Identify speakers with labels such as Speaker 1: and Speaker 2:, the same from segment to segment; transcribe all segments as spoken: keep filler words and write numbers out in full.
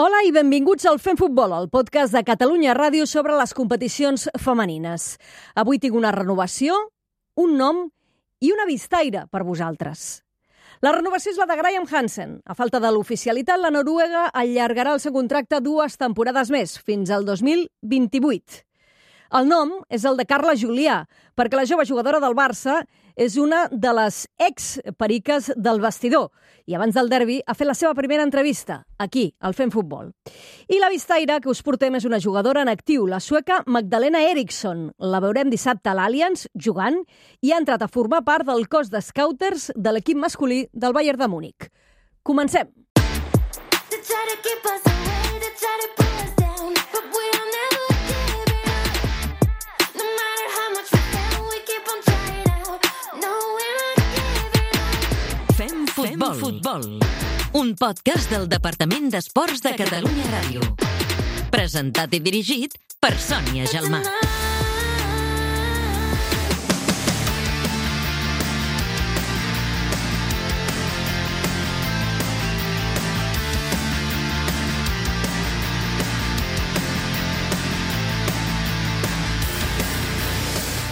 Speaker 1: Hola i benvinguts al Fem Futbol, el podcast de Catalunya Ràdio sobre les competicions femenines. Avui tinc una renovació, un nom i una vistaire per vosaltres. La renovació és la de Graham Hansen. A falta de l'oficialitat, la noruega allargarà el seu contracte dues temporades més, fins al dos mil vint-i-vuit. El nom és el de Carla Julià, perquè la jove jugadora del Barça és una de les ex-periques del vestidor i abans del derbi ha fet la seva primera entrevista, aquí, al Fem Futbol. I la vistaire que us portem és una jugadora en actiu, la sueca Magdalena Eriksson. La veurem dissabte a l'Allianz jugant i ha entrat a formar part del cos de scouters de l'equip masculí del Bayern de Múnich. Comencem!
Speaker 2: Fem Futbol, un podcast del Departament d'Esports de Catalunya Ràdio. Presentat i dirigit per Sònia Gelmà.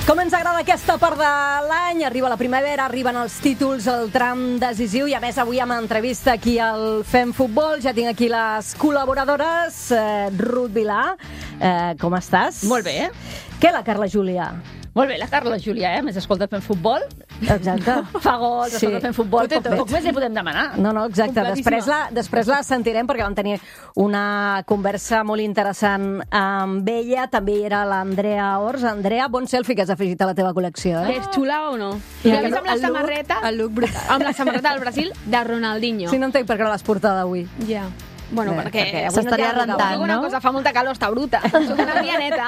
Speaker 1: Com ens agrada aquesta part de l'any, arriba la primavera, arriben els títols, el tram decisiu i a més avui amb entrevista aquí al Fem Futbol. Ja tinc aquí les col·laboradores. Eh, Ruth Vilà, eh, com estàs?
Speaker 3: Molt bé, eh?
Speaker 1: Què la Carla Julià?
Speaker 3: Molt bé, la Carla Julià, eh? Més escolta Fem Futbol.
Speaker 1: Exacte.
Speaker 3: Fa gols,
Speaker 1: Sí.
Speaker 3: escolta Fem Futbol.
Speaker 1: Tot i
Speaker 3: Poc,
Speaker 1: tot.
Speaker 3: poc més li podem demanar.
Speaker 1: No, no, exacte. Després la, després la sentirem perquè vam tenir una conversa molt interessant amb ella. També hi era l'Andrea Ors. Andrea, bon selfie que has afegit a la teva col·lecció, eh?
Speaker 4: És xula o no?
Speaker 1: I
Speaker 4: I
Speaker 1: el-
Speaker 4: a més amb la
Speaker 1: el look-
Speaker 4: samarreta,
Speaker 5: El look brutal.
Speaker 4: amb la samarreta del Brasil de Ronaldinho.
Speaker 1: Sí, no entenc per què no l'has portat avui.
Speaker 4: Ja. Bueno,
Speaker 1: Bé,
Speaker 4: perquè,
Speaker 1: perquè avui
Speaker 5: s'estaria
Speaker 1: no t'hi ha
Speaker 5: rentant,
Speaker 4: dic una
Speaker 5: no?
Speaker 4: cosa, fa molta calor, està bruta. Soc una pianeta.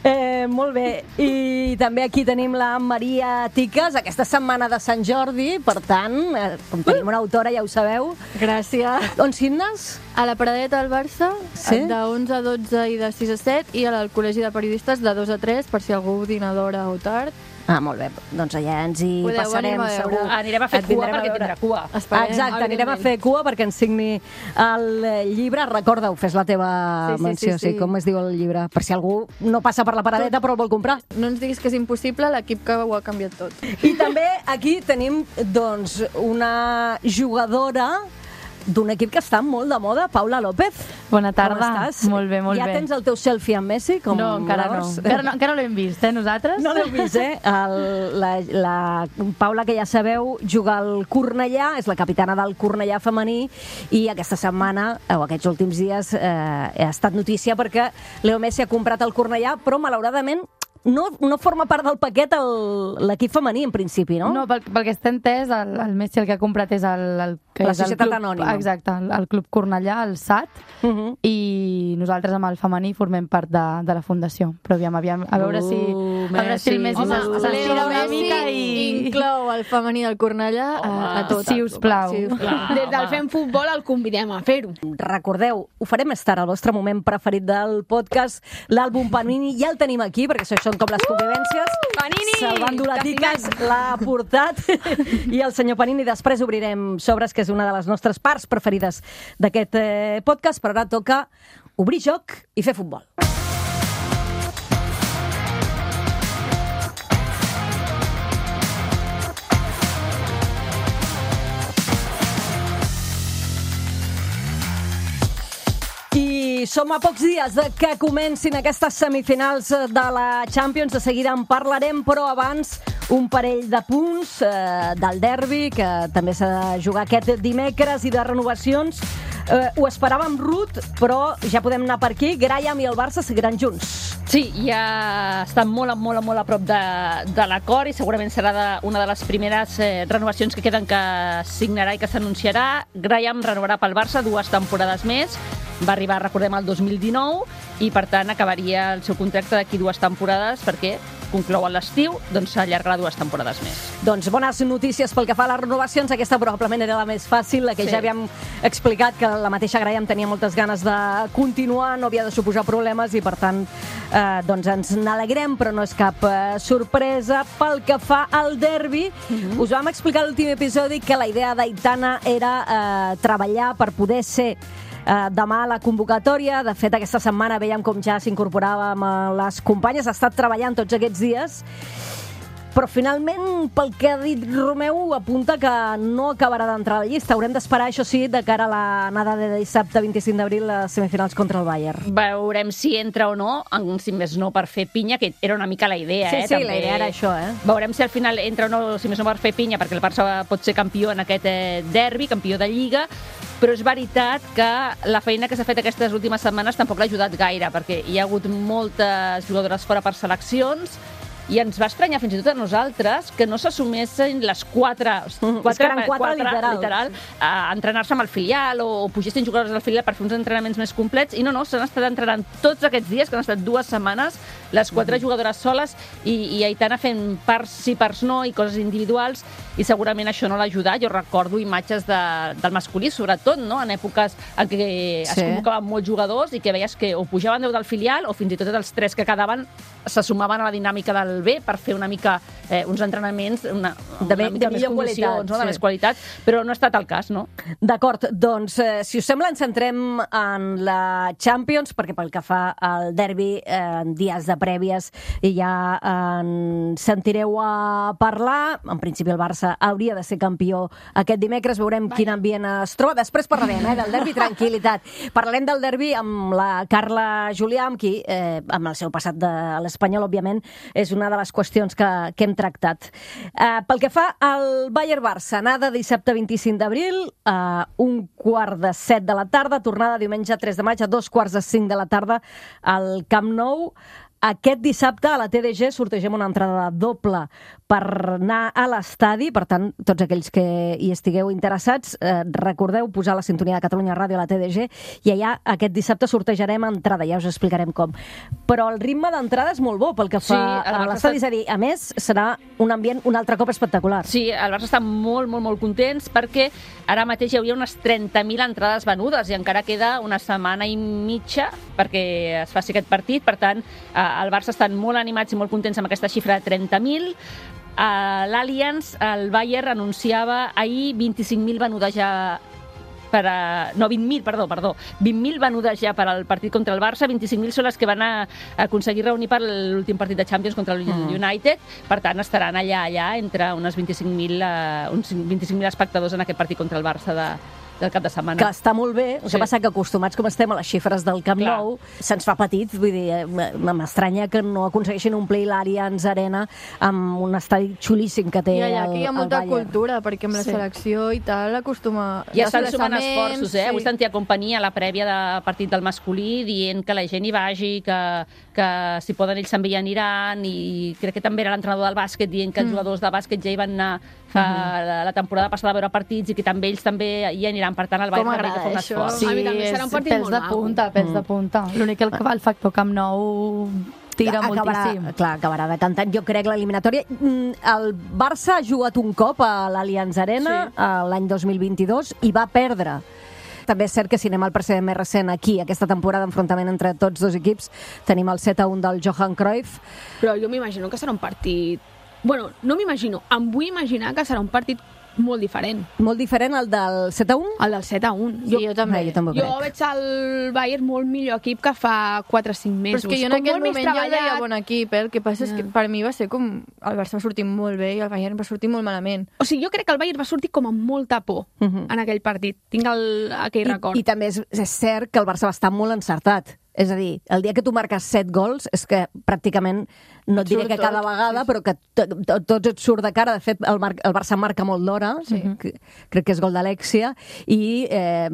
Speaker 1: Eh, molt bé. I també aquí tenim la Maria Tiques, aquesta setmana de Sant Jordi, per tant, eh, com tenim una autora, ja ho sabeu.
Speaker 5: Gràcies.
Speaker 1: On signes?
Speaker 5: A la Paradeta del Barça,
Speaker 1: Sí?
Speaker 5: de onze a dotze i de sis a set, i al Col·legi de Periodistes de dos a tres, per si algú dina d'hora o tard.
Speaker 1: Ah, molt bé. Doncs allà ens hi
Speaker 5: Podeu
Speaker 1: passarem,
Speaker 5: venir a veure.
Speaker 1: segur.
Speaker 3: Anirem a fer
Speaker 1: Et
Speaker 3: cua
Speaker 1: vindrem a
Speaker 3: perquè
Speaker 1: veure.
Speaker 3: tindrà cua.
Speaker 5: Esperem,
Speaker 1: Exacte, anirem a
Speaker 5: evidentment.
Speaker 1: fer cua perquè ens signi el eh, llibre. Recorda-ho, fes la teva
Speaker 5: Sí, sí,
Speaker 1: menció,
Speaker 5: sí, sí.
Speaker 1: com es diu el llibre, per si algú no passa per la paradeta però el vol comprar.
Speaker 5: No ens diguis que és impossible, l'equip que ho ha canviat tot.
Speaker 1: I també aquí tenim doncs, una jugadora d'un equip que està molt de moda, Paula López.
Speaker 6: Bona tarda.
Speaker 1: Com estàs?
Speaker 6: Molt bé, molt
Speaker 1: ja
Speaker 6: bé.
Speaker 1: Ja tens el teu selfie amb Messi? Com
Speaker 6: No, encara no.
Speaker 1: l'Ors?
Speaker 6: Encara no, encara no l'hem vist, eh, nosaltres?
Speaker 1: No l'heu vist, eh? El, la, la Paula, que ja sabeu, juga al Cornellà, és la capitana del Cornellà femení, i aquesta setmana, o aquests últims dies, eh, ha estat notícia perquè Leo Messi ha comprat el Cornellà, però malauradament no, no forma part del paquet el- l'equip femení, en principi, no?
Speaker 6: No, pel, pel que està entès, el, el Messi el que ha comprat és el, el, que
Speaker 1: La
Speaker 6: és el
Speaker 1: Societat
Speaker 6: club,
Speaker 1: Anònima.
Speaker 6: Exacte, el, el Club Cornellà, el S A T,
Speaker 1: Uh -huh.
Speaker 6: i nosaltres amb el femení formem part de, de la fundació. Però aviam, aviam, a veure si,
Speaker 1: Uh,
Speaker 6: a veure si el Messi
Speaker 1: Messi.
Speaker 6: s'es-
Speaker 1: Home,
Speaker 6: s'estira
Speaker 5: Leo
Speaker 6: una
Speaker 5: Messi
Speaker 6: mica i...
Speaker 5: inclou el femení del Cornellà a, a tot.
Speaker 6: Si us plau.
Speaker 5: Si us plau.
Speaker 4: Des del Fem Futbol el convidem a fer-ho.
Speaker 1: Recordeu, ho farem més tard, el vostre moment preferit del podcast, l'àlbum Panini, ja el tenim aquí, perquè això són com les convivències.
Speaker 4: Panini!
Speaker 1: Salvando la Tiques
Speaker 4: T'estimem.
Speaker 1: l'ha portat, i el senyor Panini. Després obrirem sobres, que és una de les nostres parts preferides d'aquest eh, podcast, però ara toca obrir joc i fer futbol. I som a pocs dies de que comencin aquestes semifinals de la Champions. De seguida en parlarem, però abans un parell de punts eh, del derbi, que també s'ha de jugar aquest dimecres, i de renovacions. Eh, ho esperàvem, Ruth, però ja podem anar per aquí. Graham i el Barça seguiran junts.
Speaker 3: Sí, ja estan molt, molt, molt a prop de, de l'acord i segurament serà de, una de les primeres eh, renovacions que queden que signarà i que s'anunciarà. Graham renovarà pel Barça dues temporades més. Va arribar, recordem, el dos mil dinou i, per tant, acabaria el seu contracte d'aquí dues temporades perquè conclou a l'estiu, doncs s'allargarà dues temporades més.
Speaker 1: Doncs bones notícies pel que fa a les renovacions. Aquesta probablement era la més fàcil, la que
Speaker 3: Sí.
Speaker 1: ja havíem explicat, que la mateixa Graham tenia moltes ganes de continuar, no havia de suposar problemes i, per tant, eh, doncs ens n'alegrem, però no és cap eh, sorpresa. Pel que fa al derbi, mm-hmm. us vam explicar a l'últim episodi que la idea d'Aitana era eh, treballar per poder ser eh, demà la convocatòria. De fet, aquesta setmana veiem com ja s'incorporàvem a les companyes. Ha estat treballant tots aquests dies, però finalment, pel que ha dit Romeu, apunta que no acabarà d'entrar a la llista. Haurem d'esperar, això sí, de cara a l'anada de dissabte vint-i-cinc d'abril a semifinals contra el Bayern.
Speaker 3: Veurem si entra o no, si més no per fer pinya, que era una mica la idea.
Speaker 1: Sí,
Speaker 3: eh,
Speaker 1: sí,
Speaker 3: també.
Speaker 1: la idea era això, eh?
Speaker 3: Veurem si al final entra o no, si més no per fer pinya, perquè el Barça pot ser campió en aquest eh, derbi, campió de Lliga, però és veritat que la feina que s'ha fet aquestes últimes setmanes tampoc l'ha ajudat gaire, perquè hi ha hagut moltes jugadores fora per seleccions, i ens va estranyar fins i tot a nosaltres que no s'assumessin les quatre, quatre,
Speaker 1: que eren quatre,
Speaker 3: quatre
Speaker 1: literal,
Speaker 3: literal a entrenar-se amb el filial o, o pugessin jugadors del filial per fer uns entrenaments més complets, i no, no, s'han estat entrenant tots aquests dies, que han estat dues setmanes, les quatre mm. jugadores soles, i, i Aitana fent parts sí, parts no, i coses individuals, i segurament això no l'ha ajudat. Jo recordo imatges de, del masculí, sobretot, no?, en èpoques en què es
Speaker 1: sí. convocaven
Speaker 3: molts jugadors i que veies que o pujaven deu del filial o fins i tot els tres que quedaven se sumaven a la dinàmica del B per fer una mica eh, uns entrenaments una,
Speaker 1: de,
Speaker 3: una mica
Speaker 1: de
Speaker 3: més
Speaker 1: millor
Speaker 3: condicions,
Speaker 1: qualitat,
Speaker 3: no? de
Speaker 1: sí.
Speaker 3: més qualitat, però no ha estat el cas, no?
Speaker 1: D'acord, doncs, eh, si us sembla, ens centrem en la Champions, perquè pel que fa al derbi, eh, dies de prèvies, i ja en sentireu a parlar. En principi el Barça hauria de ser campió aquest dimecres, veurem Vai. quin ambient es troba. Després parlarem eh, del derbi, tranquil·litat. Parlarem del derbi amb la Carla Julià, amb qui, eh, amb el seu passat de l'Espanyol, òbviament, és una de les qüestions que, que hem tractat. Uh, pel que fa al Bayern-Barça, anada dissabte vint-i-cinc d'abril, a uh, un quart de set de la tarda, tornada diumenge tres de maig a dos quarts de cinc de la tarda al Camp Nou. Aquest dissabte a la T D G sortegem una entrada doble per anar a l'estadi. Per tant, tots aquells que hi estigueu interessats, eh, recordeu posar la sintonia de Catalunya Ràdio a la T D G i allà aquest dissabte sortejarem entrada, ja us explicarem com. Però el ritme d'entrada és molt bo pel que fa sí, a l'estadi, és a dir, a més, serà un ambient un altre cop espectacular.
Speaker 3: Sí, el Barça està molt, molt, molt contents perquè ara mateix hi hauria unes trenta mil entrades venudes i encara queda una setmana i mitja perquè es faci aquest partit. Per tant, el Barça estan molt animats i molt contents amb aquesta xifra de trenta mil. A l'Allianz, el Bayern anunciava ahir vint-i-cinc mil venudes ja per a... no, vint mil, perdó, perdó. vint mil venudes ja per al partit contra el Barça, vint-i-cinc mil són les que van a aconseguir reunir per l'últim partit de Champions contra el mm. United. Per tant, estaran allà, allà, entre unes vint-i-cinc mil uh, uns vint-i-cinc mil espectadors en aquest partit contra el Barça de, del cap de setmana.
Speaker 1: Que està molt bé, el
Speaker 3: sí.
Speaker 1: que passa que acostumats com estem a les xifres del Camp Clar. Nou, se'ns fa petit, vull dir, m'estranya que no aconsegueixin omplir l'Allianz Arena amb un estadi xulíssim que té
Speaker 5: I allà
Speaker 1: el,
Speaker 5: que hi ha
Speaker 1: el
Speaker 5: molta
Speaker 1: Bayern.
Speaker 5: Cultura, perquè amb la
Speaker 1: Sí.
Speaker 5: selecció i tal acostuma...
Speaker 3: Ja estan sumant esforços, eh?
Speaker 5: Sí.
Speaker 3: Avui sentia companyia a la prèvia de partit del masculí dient que la gent hi vagi, que, que si poden ells també hi aniran, i crec que també era l'entrenador del bàsquet dient que els mm. jugadors de bàsquet ja hi van anar fa mm-hmm. la temporada passada a veure partits i que també ells també hi aniran. Per tant, el Bayern també fa un esforç.
Speaker 5: Sí, a mi també serà un partit
Speaker 6: pels
Speaker 5: molt
Speaker 6: de punta, pels mm. de punta. L'únic que el que fa el factor Camp Nou tira
Speaker 1: acabarà,
Speaker 6: moltíssim.
Speaker 1: clar, acabarà decantant, jo crec, l'eliminatòria. El Barça ha jugat un cop a l'Allianz Arena sí. l'any dos mil vint-i-dos i va perdre. També és cert que si anem al precedent més recent aquí, aquesta temporada d'enfrontament entre tots dos equips, tenim el set a un del Johan Cruyff.
Speaker 4: Però jo m'imagino que serà un partit... Bueno, no m'imagino, em vull imaginar que serà un partit molt diferent.
Speaker 1: Molt diferent al del set a un?
Speaker 4: El del set a un.
Speaker 5: Sí, jo, jo també.
Speaker 1: Eh, jo també
Speaker 4: jo veig el Bayern molt millor equip que fa quatre o cinc mesos.
Speaker 5: Però és que jo en aquell moment ja el veia bon equip, eh? El que passa yeah. és que per mi va ser com... El Barça va sortir molt bé i el Bayern va sortir molt malament.
Speaker 4: O sigui, jo crec que el Bayern va sortir com amb molta por uh -huh. en aquell partit. Tinc el, aquell
Speaker 1: I,
Speaker 4: record.
Speaker 1: I també és, és cert que el Barça va estar molt encertat. És a dir, el dia que tu marques set gols és que pràcticament, no et diré que cada vegada, però que tots et surt de cara. De fet, el, Mar el Barça marca molt d'hora, sí. que, crec que és gol d'Alexia, i eh,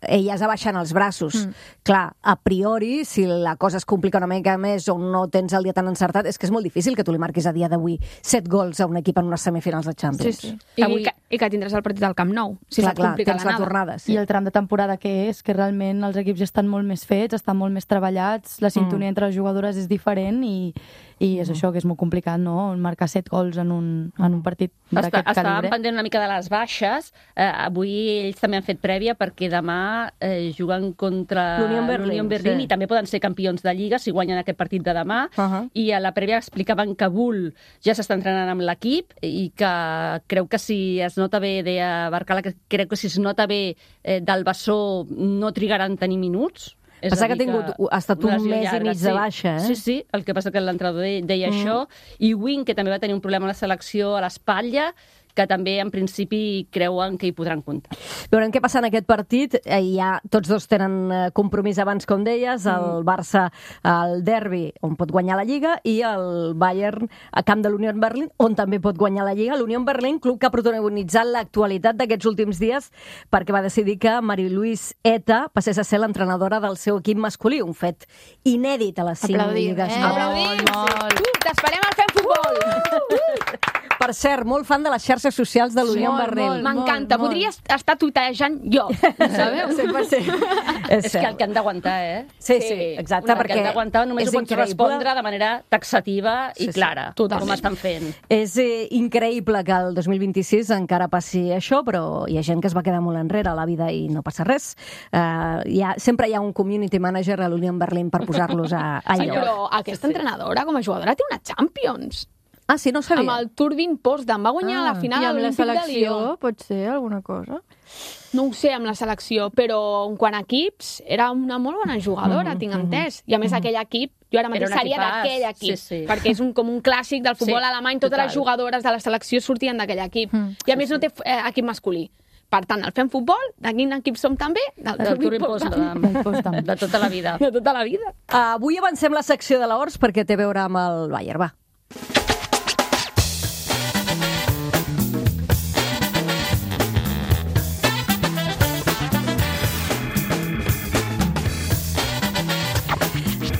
Speaker 1: ella ja baixant els braços. Mm. Clar, a priori, si la cosa es complica una mica més o no tens el dia tan encertat, és que és molt difícil que tu li marquis a dia d'avui set gols a un equip en unes semifinals de Champions.
Speaker 4: Sí, sí. I, Avui... i, que, I que tindràs el partit del Camp Nou, si
Speaker 1: clar,
Speaker 4: se't complica
Speaker 1: clar, tens
Speaker 4: l'anada.
Speaker 1: la tornada. Sí.
Speaker 6: I el tram de temporada que és, que realment els equips ja estan molt més fets, estan molt molt més treballats, la sintonia mm. entre les jugadores és diferent i, i és mm. això, que és molt complicat, no? Marcar set gols en un, en un partit d'aquest calibre.
Speaker 3: Estàvem pendent una mica de les baixes. Eh, avui ells també han fet prèvia perquè demà eh, juguen contra
Speaker 1: l'Unión Berlín,
Speaker 3: Berlín
Speaker 1: sí.
Speaker 3: i també poden ser campions de Lliga si guanyen aquest partit de demà. Uh -huh. I a la prèvia explicaven que Bull ja s'està entrenant amb l'equip i que creu que si es nota bé, deia Barcala, que creu que si es nota bé eh, del bessó no trigaran a tenir minuts.
Speaker 1: És Passa que ha tingut, que ha estat un mes llarga, i mig
Speaker 3: sí.
Speaker 1: de baixa, eh?
Speaker 3: Sí, sí, el que passa que l'entrenador deia, deia mm. això. I Wing, que també va tenir un problema a la selecció a l'espatlla, que també, en principi, creuen que hi podran comptar.
Speaker 1: Veurem què passa en aquest partit. Ja tots dos tenen compromís abans, com deies, el Barça al derbi, on pot guanyar la Lliga, i el Bayern a camp de l'Unión Berlín, on també pot guanyar la Lliga. L'Unión Berlín, club que ha protagonitzat l'actualitat d'aquests últims dies perquè va decidir que Marie-Louise Eta passés a ser l'entrenadora del seu equip masculí, un fet inèdit a les cinc lligues.
Speaker 5: Eh?
Speaker 4: Aplaudim! Uh, T'esperem al Fem Futbol!
Speaker 1: Per cert, molt fan de les xarxes socials de l'Unión Berlín.
Speaker 4: M'encanta, podria estar tuitejant jo, sabeu?
Speaker 1: cent per cent.
Speaker 3: És, és que el que han d'aguantar, eh?
Speaker 1: Sí, sí, exacte,
Speaker 3: el
Speaker 1: perquè
Speaker 3: que han d'aguantar només ho pots
Speaker 1: increïble.
Speaker 3: respondre de manera taxativa i
Speaker 1: sí, sí,
Speaker 3: clara,
Speaker 4: totalment.
Speaker 3: com estan fent.
Speaker 1: És eh, increïble que el dos mil vint-i-sis encara passi això, però hi ha gent que es va quedar molt enrere a la vida i no passa res. Uh, hi ha, sempre hi ha un community manager a l'Unión Berlín per posar-los a, a
Speaker 4: Sí,
Speaker 1: lloc.
Speaker 4: però aquesta entrenadora, com a jugadora, té una Champions.
Speaker 1: Ah, sí, no ho sabia.
Speaker 4: Amb el Turbin Potsdam. Va guanyar
Speaker 1: Ah,
Speaker 4: la final
Speaker 5: I
Speaker 4: a
Speaker 5: amb la
Speaker 4: l'Olímpic de
Speaker 5: selecció
Speaker 4: Lió.
Speaker 5: pot ser alguna cosa?
Speaker 4: No ho sé amb la selecció, però en quant a equips, era una molt bona jugadora, mm -hmm. tinc entès. I a més, aquell equip, jo ara mateix
Speaker 3: Era un
Speaker 4: seria
Speaker 3: equipàs,
Speaker 4: d'aquell equip,
Speaker 3: sí, sí.
Speaker 4: perquè és un, com un clàssic del futbol
Speaker 3: Sí,
Speaker 4: alemany, totes
Speaker 3: total.
Speaker 4: les jugadores de la selecció sortien d'aquell equip.
Speaker 5: Mm,
Speaker 4: I a més no té eh, equip masculí. Per tant, el Fem Futbol, de quin equip som també?
Speaker 3: Del Turbin Potsdam, de tota la vida.
Speaker 4: De tota la vida.
Speaker 1: Avui avancem la secció de l'Horts perquè té a veure amb el Bayern, va.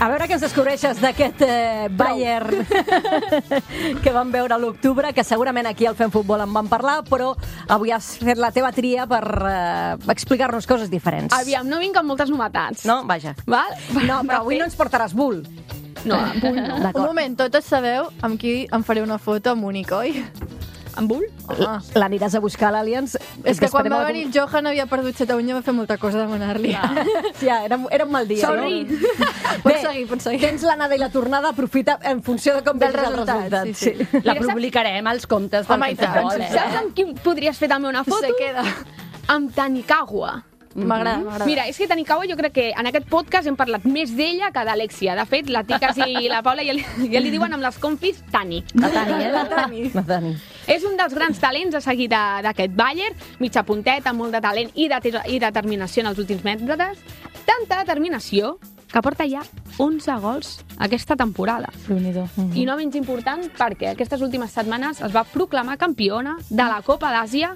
Speaker 1: A veure què ens descobreixes d'aquest eh, Bayern que vam veure a l'octubre, que segurament aquí al Fem Futbol en vam parlar, però avui has fet la teva tria per eh, explicar-nos coses diferents.
Speaker 4: Aviam, no vinc amb moltes novetats.
Speaker 1: No? Vaja.
Speaker 4: Val?
Speaker 1: No, però avui no ens portaràs bull.
Speaker 4: No, amb Bull no.
Speaker 5: Un moment, totes sabeu amb qui em faré una foto amb Únic, oi?
Speaker 4: Amb Bull?
Speaker 5: Home.
Speaker 1: L'aniràs a buscar a l'Allianz.
Speaker 5: És que quan va venir el Johan havia perdut set a un i va fer molta cosa demanar-li.
Speaker 1: Ja, era, era un mal dia.
Speaker 4: Sorry.
Speaker 1: No?
Speaker 5: Pots seguir, pots seguir.
Speaker 1: Tens l'anada i la tornada, aprofita en funció de com
Speaker 5: Del
Speaker 1: vegis el
Speaker 5: resultat,
Speaker 1: resultat.
Speaker 5: sí, sí.
Speaker 3: La publicarem als comptes del
Speaker 5: Home, i tant.
Speaker 3: futbol, eh?
Speaker 4: Saps amb qui podries fer també una foto?
Speaker 5: Se queda.
Speaker 4: Amb Tanikawa.
Speaker 5: M'agrada, m'agrada.
Speaker 4: Mira, és que Tanikawa jo crec que en aquest podcast hem parlat més d'ella que d'Alexia. De fet, la Ticas i la Paula ja li, ja li diuen amb les confis Tani.
Speaker 1: La Tani, eh? La Tani. La Tani.
Speaker 4: És un dels grans talents a seguir de- d'aquest Bayern, mitja punteta, molt de talent i, de, i determinació en els últims metres. Tanta determinació que porta ja onze gols aquesta temporada.
Speaker 6: Déu-n'hi-do.
Speaker 4: I no menys important perquè aquestes últimes setmanes es va proclamar campiona de la Copa d'Àsia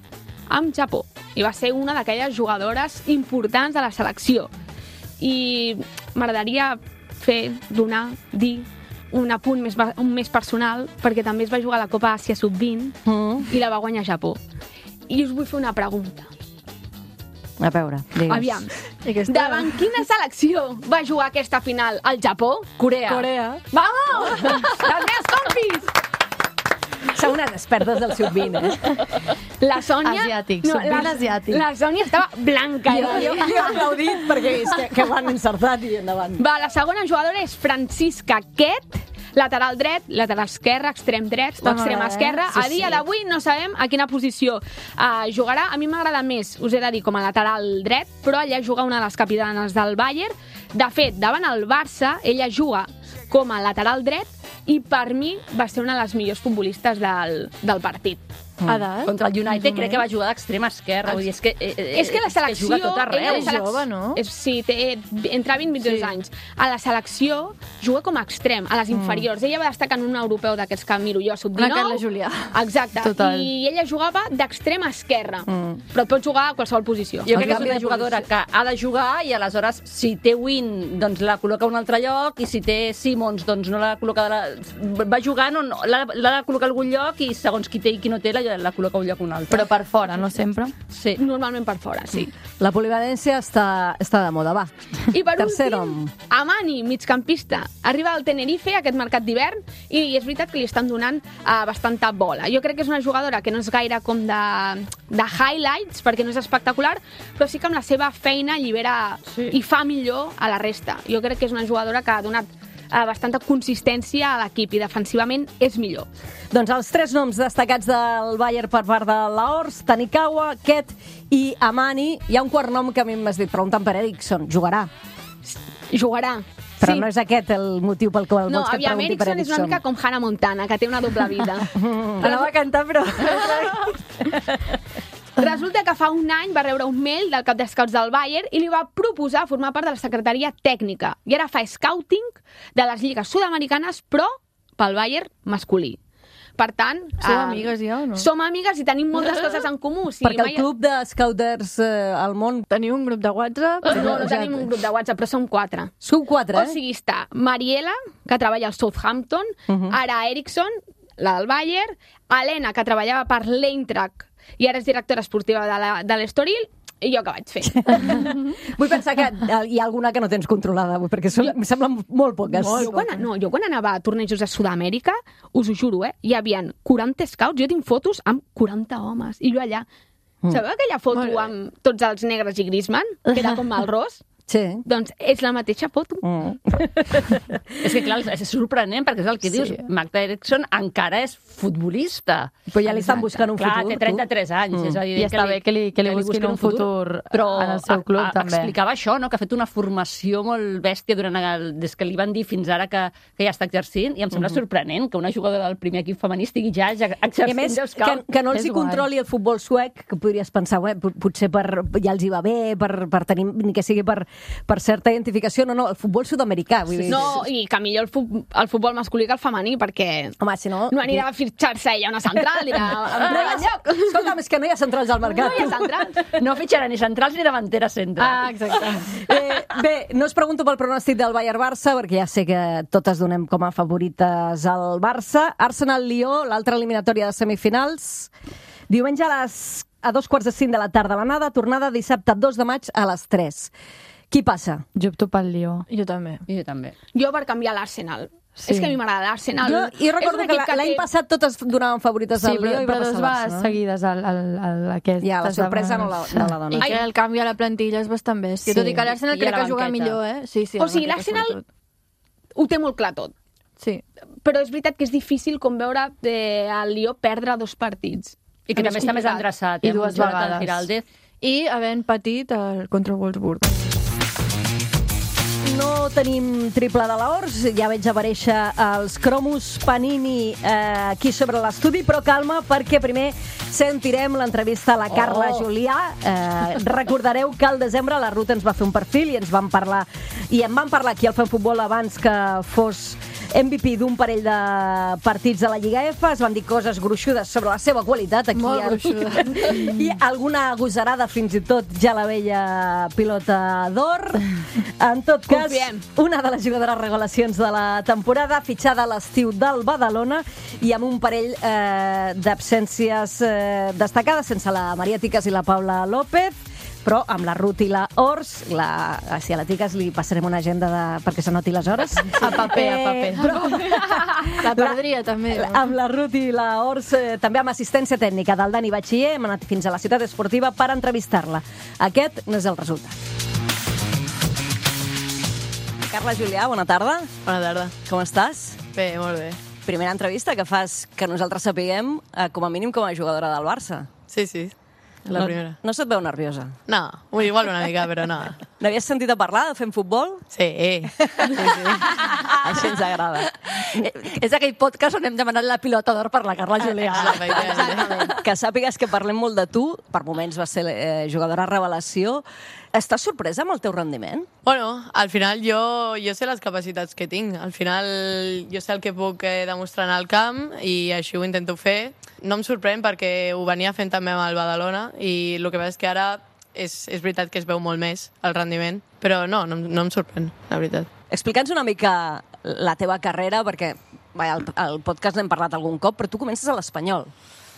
Speaker 4: amb Japó. I va ser una d'aquelles jugadores importants de la selecció. I m'agradaria fer, donar, dir un apunt més, un més personal, perquè també es va jugar a la Copa Àsia sub vint
Speaker 1: Mm.
Speaker 4: i la va guanyar Japó. I us vull fer una pregunta.
Speaker 1: A veure, digues.
Speaker 4: Aviam,
Speaker 5: I aquesta...
Speaker 4: davant quina selecció va jugar aquesta final? El Japó?
Speaker 1: Corea.
Speaker 5: Corea.
Speaker 4: Vamos! Les meves compis!
Speaker 1: Són unes expertes del sub vint, eh?
Speaker 4: La Sònia...
Speaker 6: Asiàtic, sub vint
Speaker 4: la,
Speaker 6: asiàtic.
Speaker 4: La Sònia estava blanca.
Speaker 1: Jo, jo, jo he aplaudit perquè és que, que ho han encertat i endavant.
Speaker 4: Va, la segona jugadora és Francisca Quet, lateral dret, lateral esquerre, extrem dret o
Speaker 5: Està
Speaker 4: extrem
Speaker 5: m'agrada, eh?
Speaker 4: esquerre.
Speaker 1: Sí,
Speaker 4: A dia
Speaker 1: sí.
Speaker 4: d'avui no sabem a quina posició uh, jugarà. A mi m'agrada més, us he de dir, com a lateral dret, però ella juga una de les capitanes del Bayern. De fet, davant el Barça, ella juga com a lateral dret i per mi va ser una de les millors futbolistes del, del partit.
Speaker 5: Edat?
Speaker 3: Contra el United crec que va jugar d'extrema esquerra. Vull dir, és que, eh, eh,
Speaker 4: És que la selecció...
Speaker 3: juga a tot arreu.
Speaker 4: ella la
Speaker 5: És
Speaker 4: selec-
Speaker 5: jove, no?
Speaker 4: És, sí, té entre vint i vint i dos
Speaker 5: Sí.
Speaker 4: anys. A la selecció juga com a extrem, a les inferiors. Ella va destacar en un europeu d'aquests que miro jo, sub
Speaker 5: Una
Speaker 4: dinou.
Speaker 5: Carla Julià.
Speaker 4: Exacte.
Speaker 6: Total.
Speaker 4: I ella jugava d'extrem esquerra. Però et pot jugar a qualsevol posició.
Speaker 3: Jo crec que és
Speaker 1: canvi
Speaker 3: una
Speaker 1: de
Speaker 3: jugadora que ha de jugar i aleshores si té Win doncs la col·loca a un altre lloc i si té Simons doncs no la col·loca de la... va jugant on l'ha l'ha de col·locar a algun lloc i segons qui té i qui no té la, la col·loca un lloc o un altre.
Speaker 6: Però per fora, no sempre?
Speaker 3: Sí.
Speaker 4: Normalment per fora, sí.
Speaker 1: La polivalència està, està de moda, va.
Speaker 4: I per
Speaker 1: Tercer
Speaker 4: últim,
Speaker 1: nom.
Speaker 4: Amani, migcampista. Arriba al Tenerife, aquest mercat d'hivern, i és veritat que li estan donant uh, bastanta bola. Jo crec que és una jugadora que no és gaire com de, de highlights, perquè no és espectacular, però sí que amb la seva feina allibera sí. i fa millor a la resta. Jo crec que és una jugadora que ha donat uh, bastanta consistència a l'equip i defensivament és millor.
Speaker 1: Doncs els tres noms destacats del Bayern per part de l'Horst, Tanikawa, Ket i Amani. Hi ha un quart nom que a mi m'has dit, preguntant per Eriksson. Jugarà?
Speaker 4: Jugarà.
Speaker 1: Però
Speaker 4: sí.
Speaker 1: no és aquest el motiu pel qual
Speaker 4: no,
Speaker 1: vols que et
Speaker 4: aviam,
Speaker 1: pregunti per
Speaker 4: Eriksson és
Speaker 1: Eriksson.
Speaker 4: una mica com Hannah Montana, que té una doble vida.
Speaker 1: Anava a cantar, però...
Speaker 4: Resulta que fa un any va rebre un mail del cap de scouts del Bayern i li va proposar formar part de la secretaria tècnica. I ara fa scouting de les lligues sud-americanes, però pel Bayern masculí. Per tant...
Speaker 5: Som
Speaker 4: eh,
Speaker 5: amigues ja o no?
Speaker 4: Som amigues i tenim moltes coses en comú. O sigui,
Speaker 1: Perquè el
Speaker 4: mai...
Speaker 1: club de scouters eh, al món...
Speaker 5: Teniu un grup de WhatsApp?
Speaker 4: No, no tenim un grup de WhatsApp, però som quatre.
Speaker 1: Sou quatre,
Speaker 4: O
Speaker 1: eh?
Speaker 4: sigui, està Mariela, que treballa al Southampton, uh -huh. ara Eriksson, la del Bayern, Helena, que treballava per l'Eintracht i ara és directora esportiva de la- de l'Estoril, i jo que vaig fer.
Speaker 1: Vull pensar que hi ha alguna que no tens controlada, perquè són, em semblen molt poques.
Speaker 4: jo, quan, no, jo quan anava a tornejos a Sud-amèrica, us ho juro, eh, hi havia quaranta scouts, jo tinc fotos amb quaranta homes, i jo allà. Mm. Sabeu aquella foto amb tots els negres i Griezmann, que era com el ros?
Speaker 1: Sí.
Speaker 4: Doncs és la mateixa foto.
Speaker 1: Mm.
Speaker 3: És que, clar, és sorprenent, perquè és el que
Speaker 1: Sí.
Speaker 3: dius. Magda Eriksson encara és futbolista.
Speaker 1: Però ja li estan buscant un
Speaker 3: Clar,
Speaker 1: futur.
Speaker 3: té trenta-tres anys.
Speaker 1: Mm.
Speaker 3: És
Speaker 6: I està bé que li, que li busquin un futur,
Speaker 3: però
Speaker 6: en el seu club,
Speaker 3: a, a,
Speaker 6: també.
Speaker 3: explicava això, no? Que ha fet una formació molt bèstia durant el, des que li van dir fins ara que, que ja està exercint, i em sembla mm -hmm. sorprenent que una jugadora del primer equip femení estigui ja exercint.
Speaker 1: I a més,
Speaker 3: de
Speaker 1: que,
Speaker 3: scout.
Speaker 1: que no els
Speaker 6: És
Speaker 1: hi
Speaker 6: guai.
Speaker 1: controli el futbol suec, que podries pensar, ué, potser per, ja els hi va bé, per, per tenir, ni que sigui per, per certa identificació. No, no, el futbol sud-americà. Vull dir.
Speaker 4: No, i que millor el, fu el futbol masculí que el femení, perquè
Speaker 1: Home, si no...
Speaker 4: no anirà a fitxar-se ella una central, dirà, em
Speaker 1: No hi
Speaker 4: no
Speaker 1: ha,
Speaker 4: lloc.
Speaker 1: escolta'm, és que no hi ha centrals al mercat.
Speaker 4: No hi ha centrals.
Speaker 3: No fitxarà ni centrals ni davanteres centre.
Speaker 1: Ah, exacte. Eh, bé, no us pregunto pel pronòstic del Bayern-Barça, perquè ja sé que totes donem com a favorites al Barça. Arsenal-Lió, l'altra eliminatòria de semifinals. Diumenge a, les, a dos quarts de cinc de la tarda l'anada, tornada dissabte dos de maig a les tres. Qui passa?
Speaker 6: Jo opto pel Lió.
Speaker 5: Jo també.
Speaker 3: I jo també.
Speaker 4: Jo per canviar l'Arsenal.
Speaker 6: Sí.
Speaker 4: És que a mi m'agrada l'Arsenal.
Speaker 1: Jo, I
Speaker 4: És
Speaker 1: recordo
Speaker 4: un
Speaker 1: que
Speaker 4: equip
Speaker 1: la- l'any
Speaker 4: té-
Speaker 1: passat totes donaven favorites
Speaker 6: Sí,
Speaker 1: al
Speaker 6: però,
Speaker 1: Lió i va
Speaker 6: però dos
Speaker 1: passar
Speaker 6: va
Speaker 1: Barça, no?
Speaker 6: seguides al, al, al, aquest.
Speaker 1: Ja, la sorpresa no la, no la dona.
Speaker 5: I que el canvi a la plantilla és bastant bèstia.
Speaker 1: Sí.
Speaker 5: Tot i que l'Arsenal
Speaker 3: I a
Speaker 5: crec
Speaker 3: la
Speaker 5: que juga
Speaker 3: banqueta.
Speaker 5: millor, eh? Sí, sí,
Speaker 4: O
Speaker 5: la
Speaker 4: sigui,
Speaker 5: banqueta,
Speaker 4: l'Arsenal
Speaker 5: sobretot.
Speaker 4: ho té molt clar tot.
Speaker 5: Sí.
Speaker 4: Però és veritat que és difícil com veure eh, el Lió perdre dos partits.
Speaker 3: I que
Speaker 4: És
Speaker 3: també està més
Speaker 4: complicat.
Speaker 3: endreçat.
Speaker 6: I
Speaker 3: eh, amb
Speaker 6: dues
Speaker 3: Jonathan
Speaker 6: vegades.
Speaker 3: Giraldez.
Speaker 5: I havent patit el, contra el Wolfsburg.
Speaker 1: No tenim triple de l'Horts, ja veig aparèixer els cromos Panini eh, aquí sobre l'estudi, però calma, perquè primer sentirem l'entrevista a la Carla
Speaker 3: Oh.
Speaker 1: Julià. Eh, recordareu que al desembre la Ruth ens va fer un perfil i ens van parlar, i en van parlar aquí al Fem Futbol abans que fos M V P d'un parell de partits de la Lliga F, es van dir coses gruixudes sobre la seva qualitat aquí.
Speaker 5: Molt
Speaker 1: al-
Speaker 5: gruixuda.
Speaker 1: I alguna agosarada fins i tot ja la veia pilota d'or. En tot cas,
Speaker 4: Confiem.
Speaker 1: una de les jugadores revelacions de la temporada, fitxada a l'estiu del Badalona i amb un parell eh, d'absències eh, destacades, sense la Maria Ticas i la Paula López, però amb la Ruth i la Ors, la, si a la Ticas li passarem una agenda de, perquè s'anoti les hores.
Speaker 6: A paper, a paper.
Speaker 1: Però,
Speaker 5: La perdria, també. no?
Speaker 1: amb la Ruth i la Ors, eh, també amb assistència tècnica del Dani Batxiller, hem anat fins a la ciutat esportiva per entrevistar-la. Aquest no és el resultat. Carla Julià, bona tarda.
Speaker 7: Bona tarda.
Speaker 1: Com estàs?
Speaker 7: Bé, molt bé.
Speaker 1: Primera entrevista que fas que nosaltres sapiguem, eh, com a mínim com a jugadora del Barça.
Speaker 7: Sí, sí, la
Speaker 1: no,
Speaker 7: primera.
Speaker 1: No se't veu nerviosa?
Speaker 7: No, bueno, igual una mica, però no.
Speaker 1: N'havies sentit a parlar de fent futbol?
Speaker 7: Sí, sí, sí.
Speaker 1: Així ens agrada.
Speaker 3: Eh, És aquell podcast on hem demanat la pilota d'or per la Carla Julià.
Speaker 7: Ah, efectivament.
Speaker 1: Que sàpigues que parlem molt de tu, per moments vas ser eh, jugadora revelació. Estàs sorpresa amb el teu rendiment?
Speaker 7: Bueno, al final jo, jo sé les capacitats que tinc. Al final jo sé el que puc eh, demostrar en el camp i així ho intento fer. No em sorprèn perquè ho venia fent també amb el Badalona i el que passa és que ara és, és veritat que es veu molt més el rendiment, però no, no, no em sorprèn, la veritat.
Speaker 1: Explica'ns una mica la teva carrera, perquè vaja, al, al podcast n'hem parlat algun cop, però tu comences a l'Espanyol.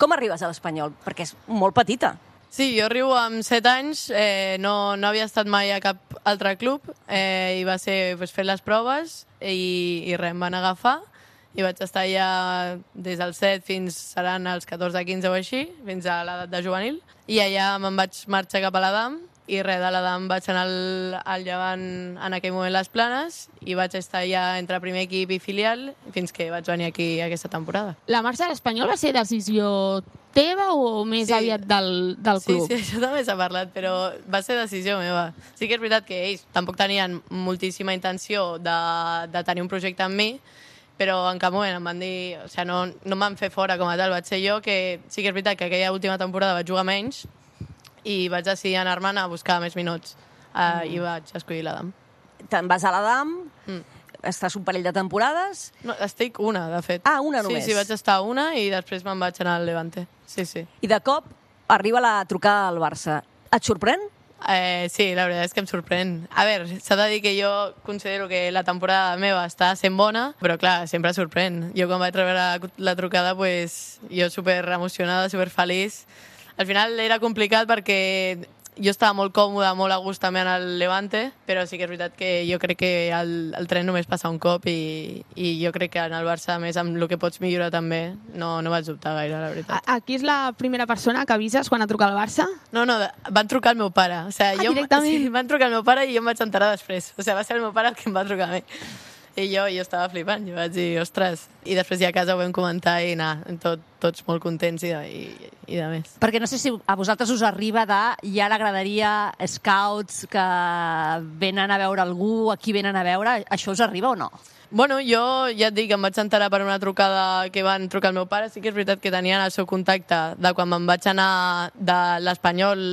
Speaker 1: Com arribes a l'Espanyol? Perquè és molt petita.
Speaker 7: Sí, jo arribo amb set anys, eh, no, no havia estat mai a cap altre club, eh, i va ser pues, fer les proves i, i res, em van agafar i vaig estar allà des dels set fins seran els catorze quinze o així, fins a l'edat de juvenil, i allà me'n vaig marxar cap a l'Adam i res, de l'Adam vaig anar al, al Llevant en aquell moment les Planes i vaig estar allà entre primer equip i filial fins que vaig venir aquí aquesta temporada.
Speaker 4: La marxa a l'Espanyol va ser decisió teva o més sí. aviat del, del club?
Speaker 7: Sí, sí, això també s'ha parlat, però va ser decisió meva. Sí que és veritat que ells tampoc tenien moltíssima intenció de, de tenir un projecte amb mi, però en cap moment em van dir... O sigui, no, no em van fer fora com a tal, vaig ser jo, que sí que és veritat que aquella última temporada vaig jugar menys i vaig decidir anar-me'n a buscar més minuts uh, mm. i vaig escollir l'Adam.
Speaker 1: Te'n vas a l'Adam, mm. estàs un parell de temporades...
Speaker 7: No, estic una, de fet.
Speaker 1: Ah, una només.
Speaker 7: Sí, sí, vaig estar una i després me'n vaig anar al Levante. Sí, sí.
Speaker 1: I de cop arriba la trucada al Barça. Et sorprèn?
Speaker 7: Eh, sí, la veritat és que em sorprèn. A veure, s'ha de dir que jo considero que la temporada meva està sent bona, però clar, sempre sorprèn. Jo quan vaig rebre la, la trucada, pues, jo super emocionada, super feliç. Al final era complicat perquè jo estava molt còmoda, molt a gust també en el Levante, però sí que és veritat que jo crec que el, el tren només passa un cop i, i jo crec que en el Barça, a més, amb el que pots millorar també, no, no vaig dubtar gaire, la veritat.
Speaker 4: Aquí és la primera persona que avises quan et truca el Barça?
Speaker 7: No, no, van trucar el meu pare. O sigui,
Speaker 4: ah,
Speaker 7: jo,
Speaker 4: directament?
Speaker 7: Sí, van trucar el meu pare i jo em vaig enterar després. O sigui, va ser el meu pare el que em va trucar a mi. I jo, jo estava flipant, jo vaig dir, ostres. I després ja a casa ho vam comentar i anar, tot, tots molt contents i de, i, i de més.
Speaker 3: Perquè no sé si a vosaltres us arriba de ja l'agradaria scouts que venen a veure algú, aquí venen a veure, això us arriba o no?
Speaker 7: Bueno, jo ja et dic, em vaig enterar per una trucada que van trucar al meu pare. Sí que és veritat que tenien el seu contacte de quan me'n vaig anar de l'Espanyol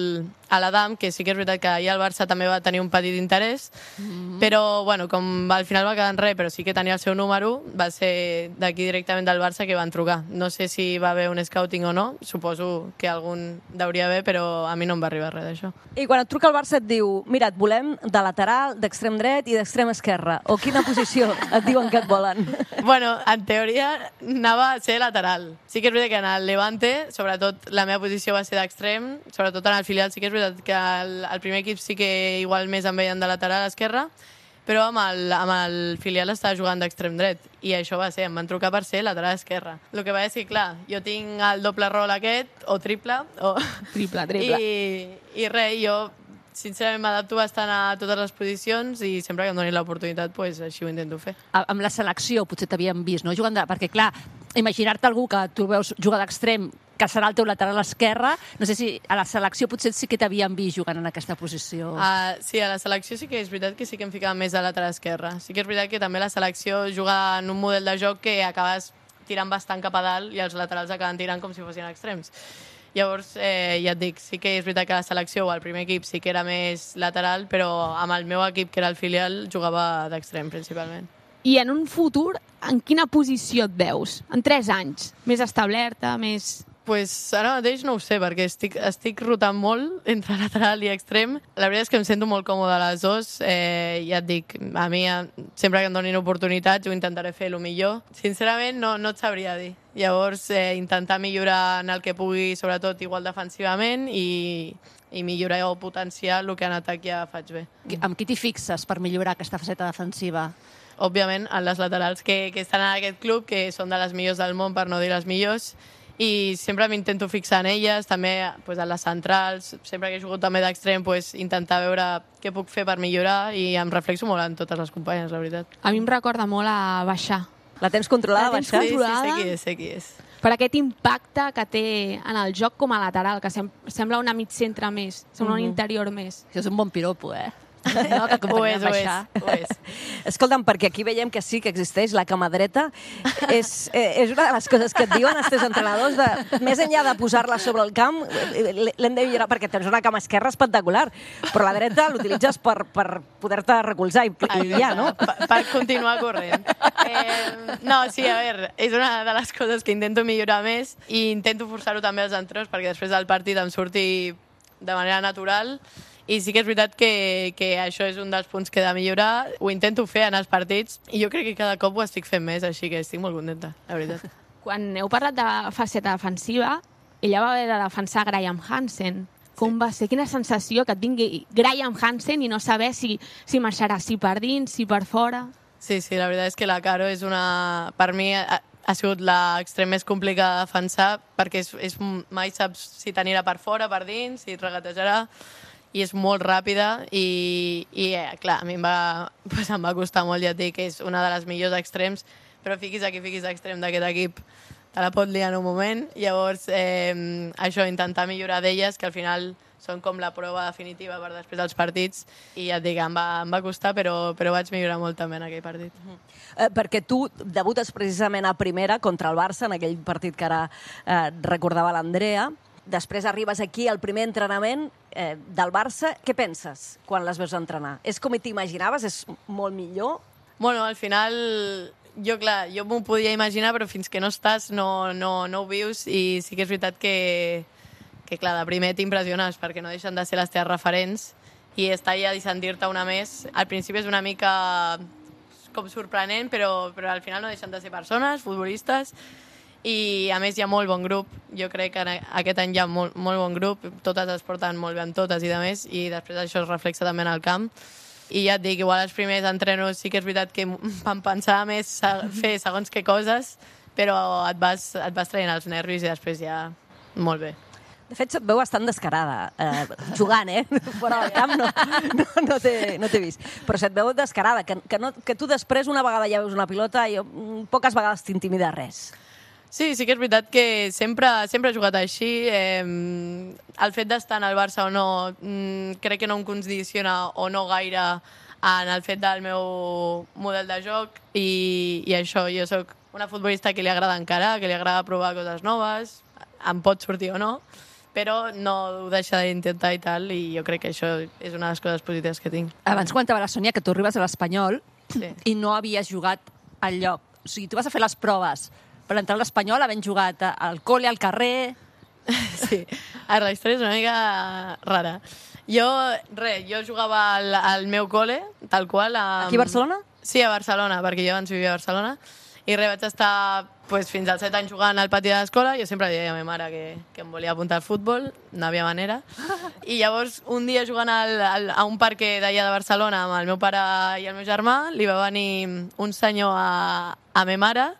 Speaker 7: a l'Adam, que sí que és veritat que allà el Barça també va tenir un petit interès, mm-hmm. però bueno, com al final va quedar en res, però sí que tenia el seu número, va ser d'aquí directament del Barça que van trucar. No sé si va haver un scouting o no, suposo que algun deuria haver, però a mi no em va arribar res d'això.
Speaker 1: I quan et truca el Barça et diu, mira, et volem de lateral, d'extrem dret i d'extrem esquerre, o quina posició et diuen que et volen?
Speaker 7: Bueno, en teoria anava a ser lateral. Sí que és veritat que en el Levante, sobretot la meva posició va ser d'extrem, sobretot en el filial sí que és veritat que el, el primer equip sí que igual més em veien de lateral a esquerra, però amb el, amb el filial estava jugant d'extrem dret i això va ser, em van trucar per ser lateral esquerra. El que va és que, clar, jo tinc el doble rol aquest, o triple, o...
Speaker 4: Triple, triple.
Speaker 7: I, i res, jo sincerament m'adapto bastant a totes les posicions i sempre que em donin l'oportunitat, pues, així ho intento fer.
Speaker 3: Amb la selecció potser t'havien vist, no? Jugant de... Perquè, clar, imaginar-te algú que tu veus jugar d'extrem, que serà el teu lateral esquerre, no sé si a la selecció potser sí que t'havien vist jugant en aquesta posició.
Speaker 7: Uh, sí, a la selecció sí que és veritat que sí que em ficava més a lateral esquerre. Sí que és veritat que també la selecció juga en un model de joc que acabes tirant bastant cap a dalt i els laterals acaben tirant com si fossin extrems. Llavors, eh, ja et dic, sí que és veritat que la selecció o el primer equip sí que era més lateral, però amb el meu equip, que era el filial, jugava d'extrem, principalment.
Speaker 4: I en un futur, en quina posició et veus? En tres anys? Més establerta, més...
Speaker 7: Pues ara mateix no ho sé, perquè estic, estic rotant molt entre lateral i extrem. La veritat és que em sento molt còmode a les dues. Eh, ja et dic, a mi sempre que em donin oportunitats ho intentaré fer el millor. Sincerament no, no et sabria dir. Llavors, eh, intentar millorar en el que pugui, sobretot igual defensivament, i, i millorar o potenciar el que en atac ja faig bé.
Speaker 3: Amb qui t'hi fixes per millorar aquesta faceta defensiva?
Speaker 7: Òbviament, en les laterals que, que estan en aquest club, que són de les millors del món, per no dir les millors, i sempre m'intento fixar en elles, també pues, en les centrals, sempre que he jugat també d'extrem, pues, intentar veure què puc fer per millorar, i em reflexo molt en totes les companyes, la veritat.
Speaker 4: A mi em recorda molt a baixar.
Speaker 1: La tens controlada,
Speaker 4: la tens
Speaker 1: baixar?
Speaker 4: controlada?
Speaker 7: Sí, sí, sé qui és, sé qui és.
Speaker 4: Per aquest impacte que té en el joc com a lateral, que sem sembla una mig centre més, sembla mm-hmm. un interior més.
Speaker 3: Això és un bon piropo, eh? No, que
Speaker 7: ho és, ho és, ho és.
Speaker 1: Escolta'm, perquè aquí veiem que sí que existeix la cama dreta. És, és una de les coses que et diuen els teus entrenadors, de, més enllà de posar-la sobre el camp, l'hem de millorar perquè tens una cama esquerra espectacular, però la dreta l'utilitzes per, per poder-te recolzar i, i ja, no?
Speaker 7: Per, per continuar corrent. Eh, no, sí, a veure, és una de les coses que intento millorar més i intento forçar-ho també als entrenadors perquè després del partit em surti de manera natural. I sí que és veritat que, que això és un dels punts que he de millorar. Ho intento fer en els partits i jo crec que cada cop ho estic fent més, així que estic molt contenta, la veritat.
Speaker 4: Quan heu parlat de faceta defensiva, ella va haver de defensar Graham Hansen. Com sí. va ser? Quina sensació que tingui Graham Hansen i no saber si, si marxarà, si per dins, si per fora.
Speaker 7: Sí, sí, la veritat és que la Caro és una... Per mi ha, ha sigut l'extrem més complicat de defensar perquè és, és, mai saps si t'anirà per fora, per dins, si et regatejarà, i és molt ràpida i, i eh, clar, a mi em va, pues em va costar molt, ja et dic, que és una de les millors extrems, però fiquis aquí, fiquis extrem d'aquest equip, te la pot liar en un moment. Llavors, eh, això, intentar millorar d'elles, que al final són com la prova definitiva per després dels partits, i ja et dic, em va, em va costar, però, però vaig millorar molt també en aquell partit.
Speaker 1: Uh-huh. eh, perquè tu debutes precisament a primera contra el Barça, en aquell partit que ara eh, recordava l'Andrea. Després arribes aquí al primer entrenament eh, del Barça. Què penses quan les veus entrenar? És com t'imaginaves? És molt millor?
Speaker 7: Bueno, al final... Jo, clar, jo m'ho podia imaginar, però fins que no estàs no, no, no ho vius, i sí que és veritat que, que clar, de primer t'impressiones perquè no deixen de ser les teves referents, i estar allà i sentir-te una més, al principi és una mica com sorprenent, però, però al final no deixen de ser persones, futbolistes, i a més hi ha molt bon grup. Jo crec que aquest any hi ha molt, molt bon grup, totes es porten molt bé amb totes i de més, i després això es reflexa també en el camp. I ja et dic, igual els primers entrenos sí que és veritat que vam pensar més a fer segons què coses, però et vas, et vas traient els nervis i després ja molt bé.
Speaker 1: De fet, se't veu bastant descarada, eh, jugant, eh? Fora del camp no, no, no t'he no vist. Però se't veu descarada, que, que, no, que tu després una vegada ja veus una pilota i poques vegades t'intimida res.
Speaker 7: Sí, sí que és veritat que sempre, sempre he jugat així. Eh, el fet d'estar en el Barça o no, mm, crec que no em condiciona o no gaire en el fet del meu model de joc, i, i això, jo sóc una futbolista que li agrada encarar, que li agrada provar coses noves, em pot sortir o no, però no ho deixa d'intentar i tal, i jo crec que això és una de les coses positives que tinc.
Speaker 3: Abans comentava la Sònia que tu arribes a l'Espanyol
Speaker 7: sí.
Speaker 3: i no havies jugat al lloc. O sigui, tu vas a fer les proves per entrar a l'Espanyol, havent jugat al col·le, al carrer...
Speaker 7: Sí, a la història és una mica rara. Jo, res, jo jugava al, al meu col·le, tal qual. Amb...
Speaker 1: Aquí a Barcelona?
Speaker 7: Sí, a Barcelona, perquè jo abans vivia a Barcelona. I res, vaig estar pues, fins als set anys jugant al pati de l'escola. Jo sempre deia a ma mare que, que em volia apuntar al futbol, no havia manera. I llavors, un dia jugant al, al, a un parc d'allà de Barcelona amb el meu pare i el meu germà, li va venir un senyor a, a ma mare,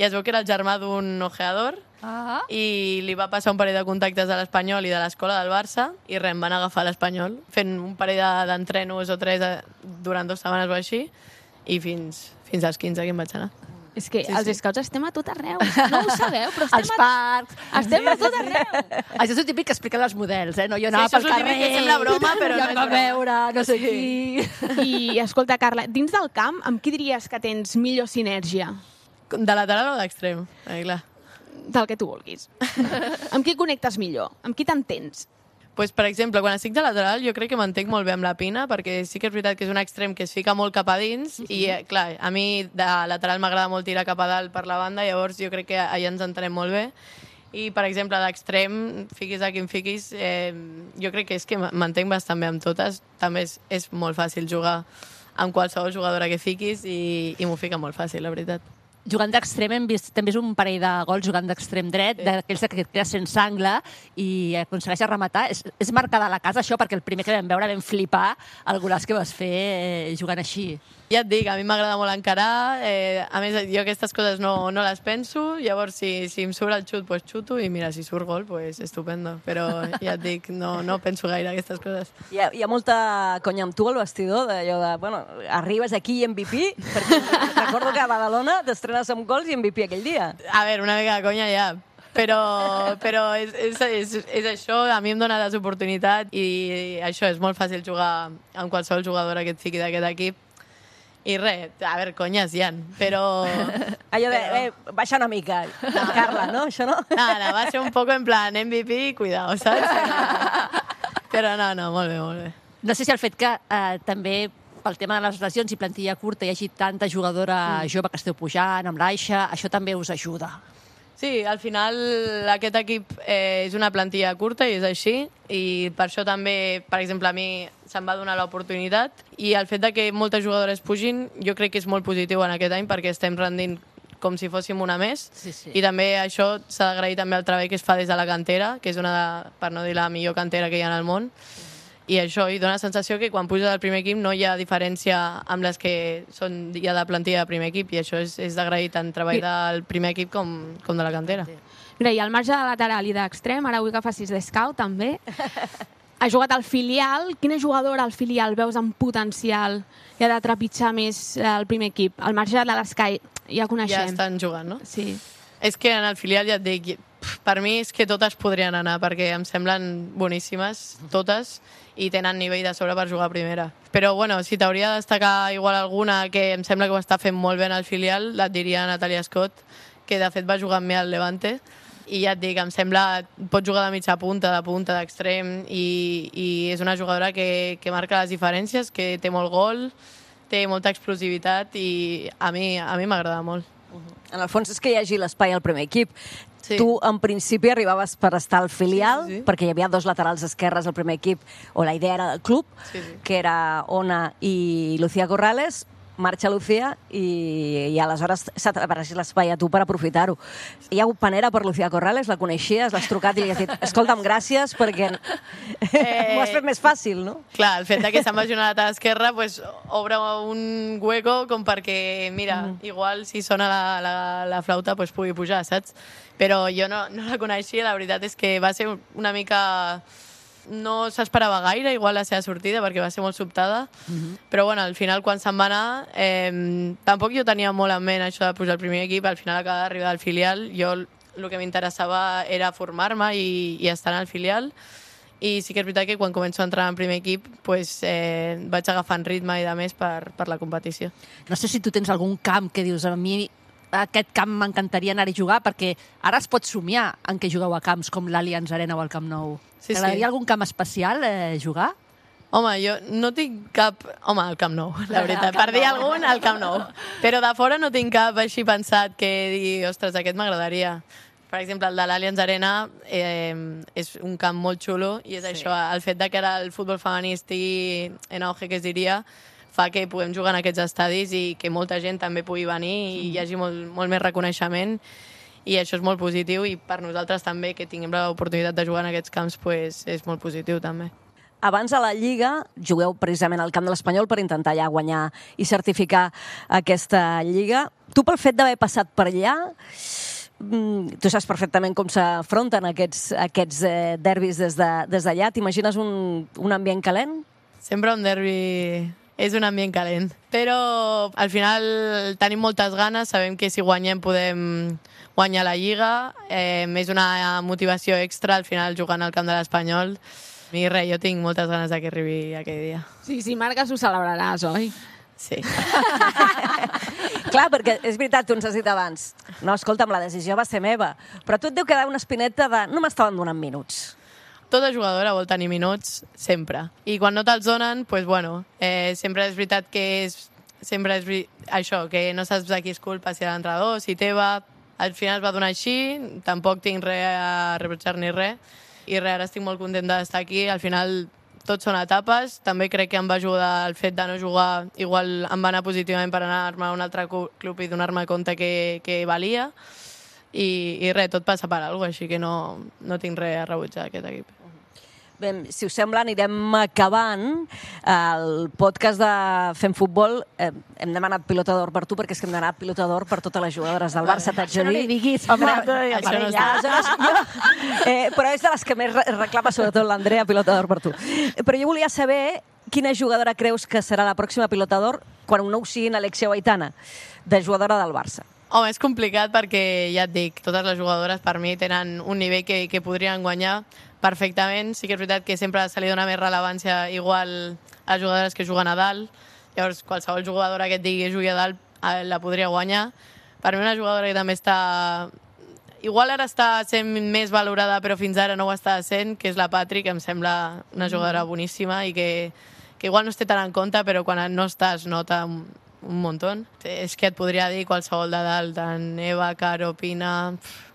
Speaker 7: i es veu que era el germà d'un ojeador, ah. i li va passar un parell de contactes de l'Espanyol i de l'escola del Barça, i res, em van agafar a l'Espanyol, fent un parell d'entrenos o tres durant dues setmanes o així, i fins, fins als quinze que em vaig anar.
Speaker 4: És que
Speaker 7: sí,
Speaker 4: els
Speaker 7: sí.
Speaker 4: scouts estem a tot arreu. No ho sabeu, però estem
Speaker 3: als parcs.
Speaker 4: A... Estem a tot arreu.
Speaker 3: Això és el típic que expliquen els models, eh? No, jo anava
Speaker 7: sí,
Speaker 3: pel carrer...
Speaker 7: Sí, que sembla broma, però
Speaker 3: no és
Speaker 7: va
Speaker 3: veure, no sé
Speaker 7: sí.
Speaker 3: qui...
Speaker 4: I, escolta, Carla, dins del camp, amb qui diries que tens millor sinergia?
Speaker 7: De lateral o d'extrem? Eh, clar.
Speaker 4: Del que tu vulguis. Amb qui connectes millor? Amb qui t'entens?
Speaker 7: Pues, per exemple, quan estic de lateral jo crec que m'entenc molt bé amb la Pina, perquè sí que és veritat que és un extrem que es fica molt cap a dins, uh-huh. i eh, clar, a mi de lateral m'agrada molt tirar cap a dalt per la banda, llavors jo crec que allà ens entenem molt bé. I, per exemple, d'extrem, fiquis a qui em fiquis, eh, jo crec que és que m'entenc bastant bé amb totes. També és, és molt fàcil jugar amb qualsevol jugadora que fiquis i, i m'ho fica molt fàcil, la veritat.
Speaker 3: Jugant d'extrem hem vist també és un parell de gols jugant d'extrem dret, sí. d'aquells que queda sense angle i aconsegueix rematar. És, és marcada la casa, això, perquè el primer que vam veure vam flipar el golaç que vas fer eh, jugant així.
Speaker 7: Ja et dic, a mi m'agrada molt encarar, eh, a més jo aquestes coses no, no les penso, llavors si, si em surt el xut, pues xuto, i mira, si surt gol, pues estupendo, però ja et dic, no, no penso gaire aquestes coses.
Speaker 1: Hi ha, hi ha molta conya amb tu al vestidor, d'allò de, bueno, arribes aquí i M V P, perquè recordo que a Badalona t'estrenes amb gols i M V P aquell dia.
Speaker 7: A veure, una mica de conya ja, però, però és, és, és, és això, a mi em dona les oportunitats i això, és molt fàcil jugar amb qualsevol jugadora que et fiqui d'aquest equip. I res, a veure, conyes hi ha, però...
Speaker 1: Allò de, eh, baixa una mica, no. Carla, no? Això no?
Speaker 7: No, no, va ser un poc en plan M V P, cuidao, saps? Però no, no, molt bé, molt bé.
Speaker 3: No sé si el fet que eh, també pel tema de les lesions i plantilla curta hi hagi tanta jugadora mm. jove que esteu pujant amb l'Aixa, això també us ajuda.
Speaker 7: Sí, al final aquest equip eh, és una plantilla curta i és així, i per això també, per exemple, a mi se'm va donar l'oportunitat, i el fet de que moltes jugadores pugin jo crec que és molt positiu en aquest any perquè estem rendint com si fóssim una més,
Speaker 3: Sí, sí.
Speaker 7: i també això s'ha d'agrair també al treball que es fa des de la cantera, que és una, de, per no dir la millor cantera que hi ha en el món, i això i dona la sensació que quan puja del primer equip no hi ha diferència amb les que són ja de plantilla de primer equip, i això és, és d'agrair tant treball del primer equip com, com de la cantera.
Speaker 4: Mira, i al marge de lateral i d'extrem, ara vull que facis d'escout també. Ha jugat al filial. Quina jugadora al filial veus amb potencial i ha de trepitjar més el primer equip? Al marge de les que ja coneixem.
Speaker 7: Ja estan jugant, no?
Speaker 4: Sí.
Speaker 7: És que en el filial ja et dic, per mi és que totes podrien anar, perquè em semblen boníssimes, totes, i tenen nivell de sobre per jugar a primera. Però, bueno, si t'hauria de destacar igual alguna que em sembla que ho està fent molt bé en el filial, et diria Natalia Scott, que de fet va jugar amb mi al Levante, i ja et dic, em sembla, pot jugar de mitja punta, de punta, d'extrem, i, i és una jugadora que, que marca les diferències, que té molt gol, té molta explosivitat, i a mi a mi m'agrada molt.
Speaker 1: En el fons és que hi hagi l'espai al primer equip.
Speaker 7: Sí.
Speaker 1: Tu, en principi, arribaves per estar al filial,
Speaker 7: Sí, sí, sí.
Speaker 1: perquè hi havia dos laterals esquerres al primer equip, o la idea era del club,
Speaker 7: Sí, sí.
Speaker 1: que era Ona i Lucía Corrales. Marxa Lucía i, i aleshores s'ha apareixit l'espai a tu per aprofitar-ho. Hi ha hagut panera per Lucía Corrales, la coneixies, l'has trucat i li has dit escolta'm, gràcies, perquè eh... m'ho has fet més fàcil, no?
Speaker 7: Clar, el fet de que se'n vagi una lateral esquerra pues, obre un hueco com perquè, mira, mm. igual si sona la, la, la flauta pues, pugui pujar, saps? Però jo no, no la coneixia, la veritat és que va ser una mica... No s'esperava gaire, igual la seva sortida, perquè va ser molt sobtada, mm-hmm. però bueno, al final quan se'n va anar, eh, tampoc jo tenia molt en ment això de pujar al primer equip, al final acaba d'arribar al filial, jo el que m'interessava era formar-me i, i estar al filial, i sí que és veritat que quan començo a entrar en primer equip pues, eh, vaig agafant ritme i de més per, per la competició.
Speaker 3: No sé si tu tens algun camp que dius a mi aquest camp m'encantaria anar-hi a jugar, perquè ara es pot somiar en què jugueu a camps com l'Allianz Arena o el Camp Nou.
Speaker 7: Sí,
Speaker 3: T'agradaria
Speaker 7: sí.
Speaker 3: algun camp especial eh, jugar?
Speaker 7: Home, jo no tinc cap... Home, al Camp Nou, la veritat. Per dir algun, al Camp Nou. Però de fora no tinc cap així pensat que digui, ostres, aquest m'agradaria. Per exemple, el de l'Allianz Arena eh, és un camp molt xulo i és sí. això, el fet de que ara el futbol femení estigui en auge, que es diria, fa que puguem jugar en aquests estadis i que molta gent també pugui venir i hi hagi molt, molt més reconeixement, i això és molt positiu, i per nosaltres també que tinguem l'oportunitat de jugar en aquests camps pues, és molt positiu també.
Speaker 1: Abans a la Lliga jugueu precisament al camp de l'Espanyol per intentar allà guanyar i certificar aquesta Lliga. Tu, pel fet d'haver passat per allà, tu saps perfectament com s'afronten aquests, aquests eh, derbis des d'allà. De, des d'allà. T'imagines un, un ambient calent?
Speaker 7: Sempre un derbi és un ambient calent, però al final tenim moltes ganes, sabem que si guanyem podem guanyar la Lliga, eh, és una motivació extra al final jugant al camp de l'Espanyol, i res, jo tinc moltes ganes que arribi aquell dia.
Speaker 4: Sí, si marques ho celebraràs, oi?
Speaker 7: Sí.
Speaker 1: Clar, perquè és veritat, tu ens has dit abans, no, escolta'm, la decisió va ser meva, però tu et deu quedar una espineta de no m'estaven donant minuts.
Speaker 7: Tota jugadora vol tenir minuts, sempre. I quan no te'ls donen, pues, bueno, eh, sempre és veritat que és, sempre és això, que no saps de qui és culpa, si l'entrenador, si teva. Al final es va donar així, tampoc tinc res a reprotxar ni res, i res, ara estic molt content d'estar aquí. Al final tot són etapes, també crec que em va ajudar el fet de no jugar, igual em va anar positivament per anar-me a un altre club i donar-me compte que, que valia, i, i res, tot passa per alguna cosa, així que no, no tinc res a rebutjar d'aquest equip.
Speaker 1: Bé, si us sembla, anirem acabant el podcast de Fem Futbol. Eh, hem demanat pilota d'or per tu, perquè és que hem demanat pilota d'or per totes les jugadores del Barça, t'haig de dir.
Speaker 3: No li diguis, home,
Speaker 7: això no està.
Speaker 1: Eh, però és de les que més reclama, sobretot l'Andrea, pilota d'or per tu. Però jo volia saber quina jugadora creus que serà la pròxima pilota d'or quan no ho siguin Alexia o Aitana, de jugadora del Barça.
Speaker 7: Home, és complicat perquè, ja et dic, totes les jugadores per mi tenen un nivell que, que podrien guanyar perfectament. Sí que és veritat que sempre se li dona més rellevància igual a les jugadores que juguen a dalt. Llavors, qualsevol jugadora que et digui jugui a dalt la podria guanyar. Per mi una jugadora que també està... Igual ara està sent més valorada, però fins ara no ho està sent, que és la Patri, que em sembla una jugadora boníssima i que, que igual no es té tant en compte, però quan no està es nota un, un muntó. És que et podria dir qualsevol de dalt, tant Eva, Caro, Pina... Pff,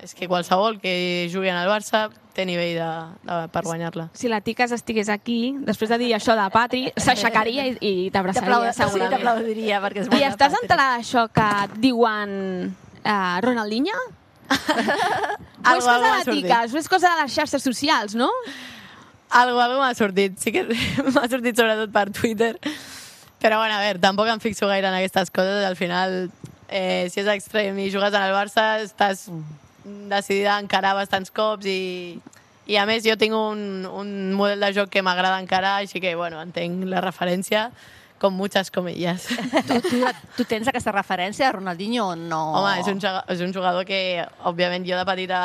Speaker 7: és que qualsevol que jugui en el Barça té nivell de, de, per guanyar-la.
Speaker 4: Si la Ticas estigués aquí, després de dir això de Patri, s'aixecaria i, i t'abraçaria, segurament.
Speaker 3: Sí, t'aplaudiria, perquè és
Speaker 4: I
Speaker 3: molt
Speaker 4: estàs
Speaker 3: Patri.
Speaker 4: enterada d'això que et diuen uh, Ronaldinho? O és cosa de la Ticas, o és cosa de les xarxes socials, no?
Speaker 7: Algo, algo m'ha sortit. Sí que m'ha sortit sobretot per Twitter. Però, bueno, a veure, tampoc em fixo gaire en aquestes coses. Al final, eh, si és extrem i jugues en el Barça, estàs decidida a encarar bastants cops i, i a més jo tinc un, un model de joc que m'agrada encarar, així que, bueno, entenc la referència com muchas comillas.
Speaker 3: Tu, tu, tu tens aquesta referència a Ronaldinho o no?
Speaker 7: Home, és un, és un jugador que, òbviament, jo de petita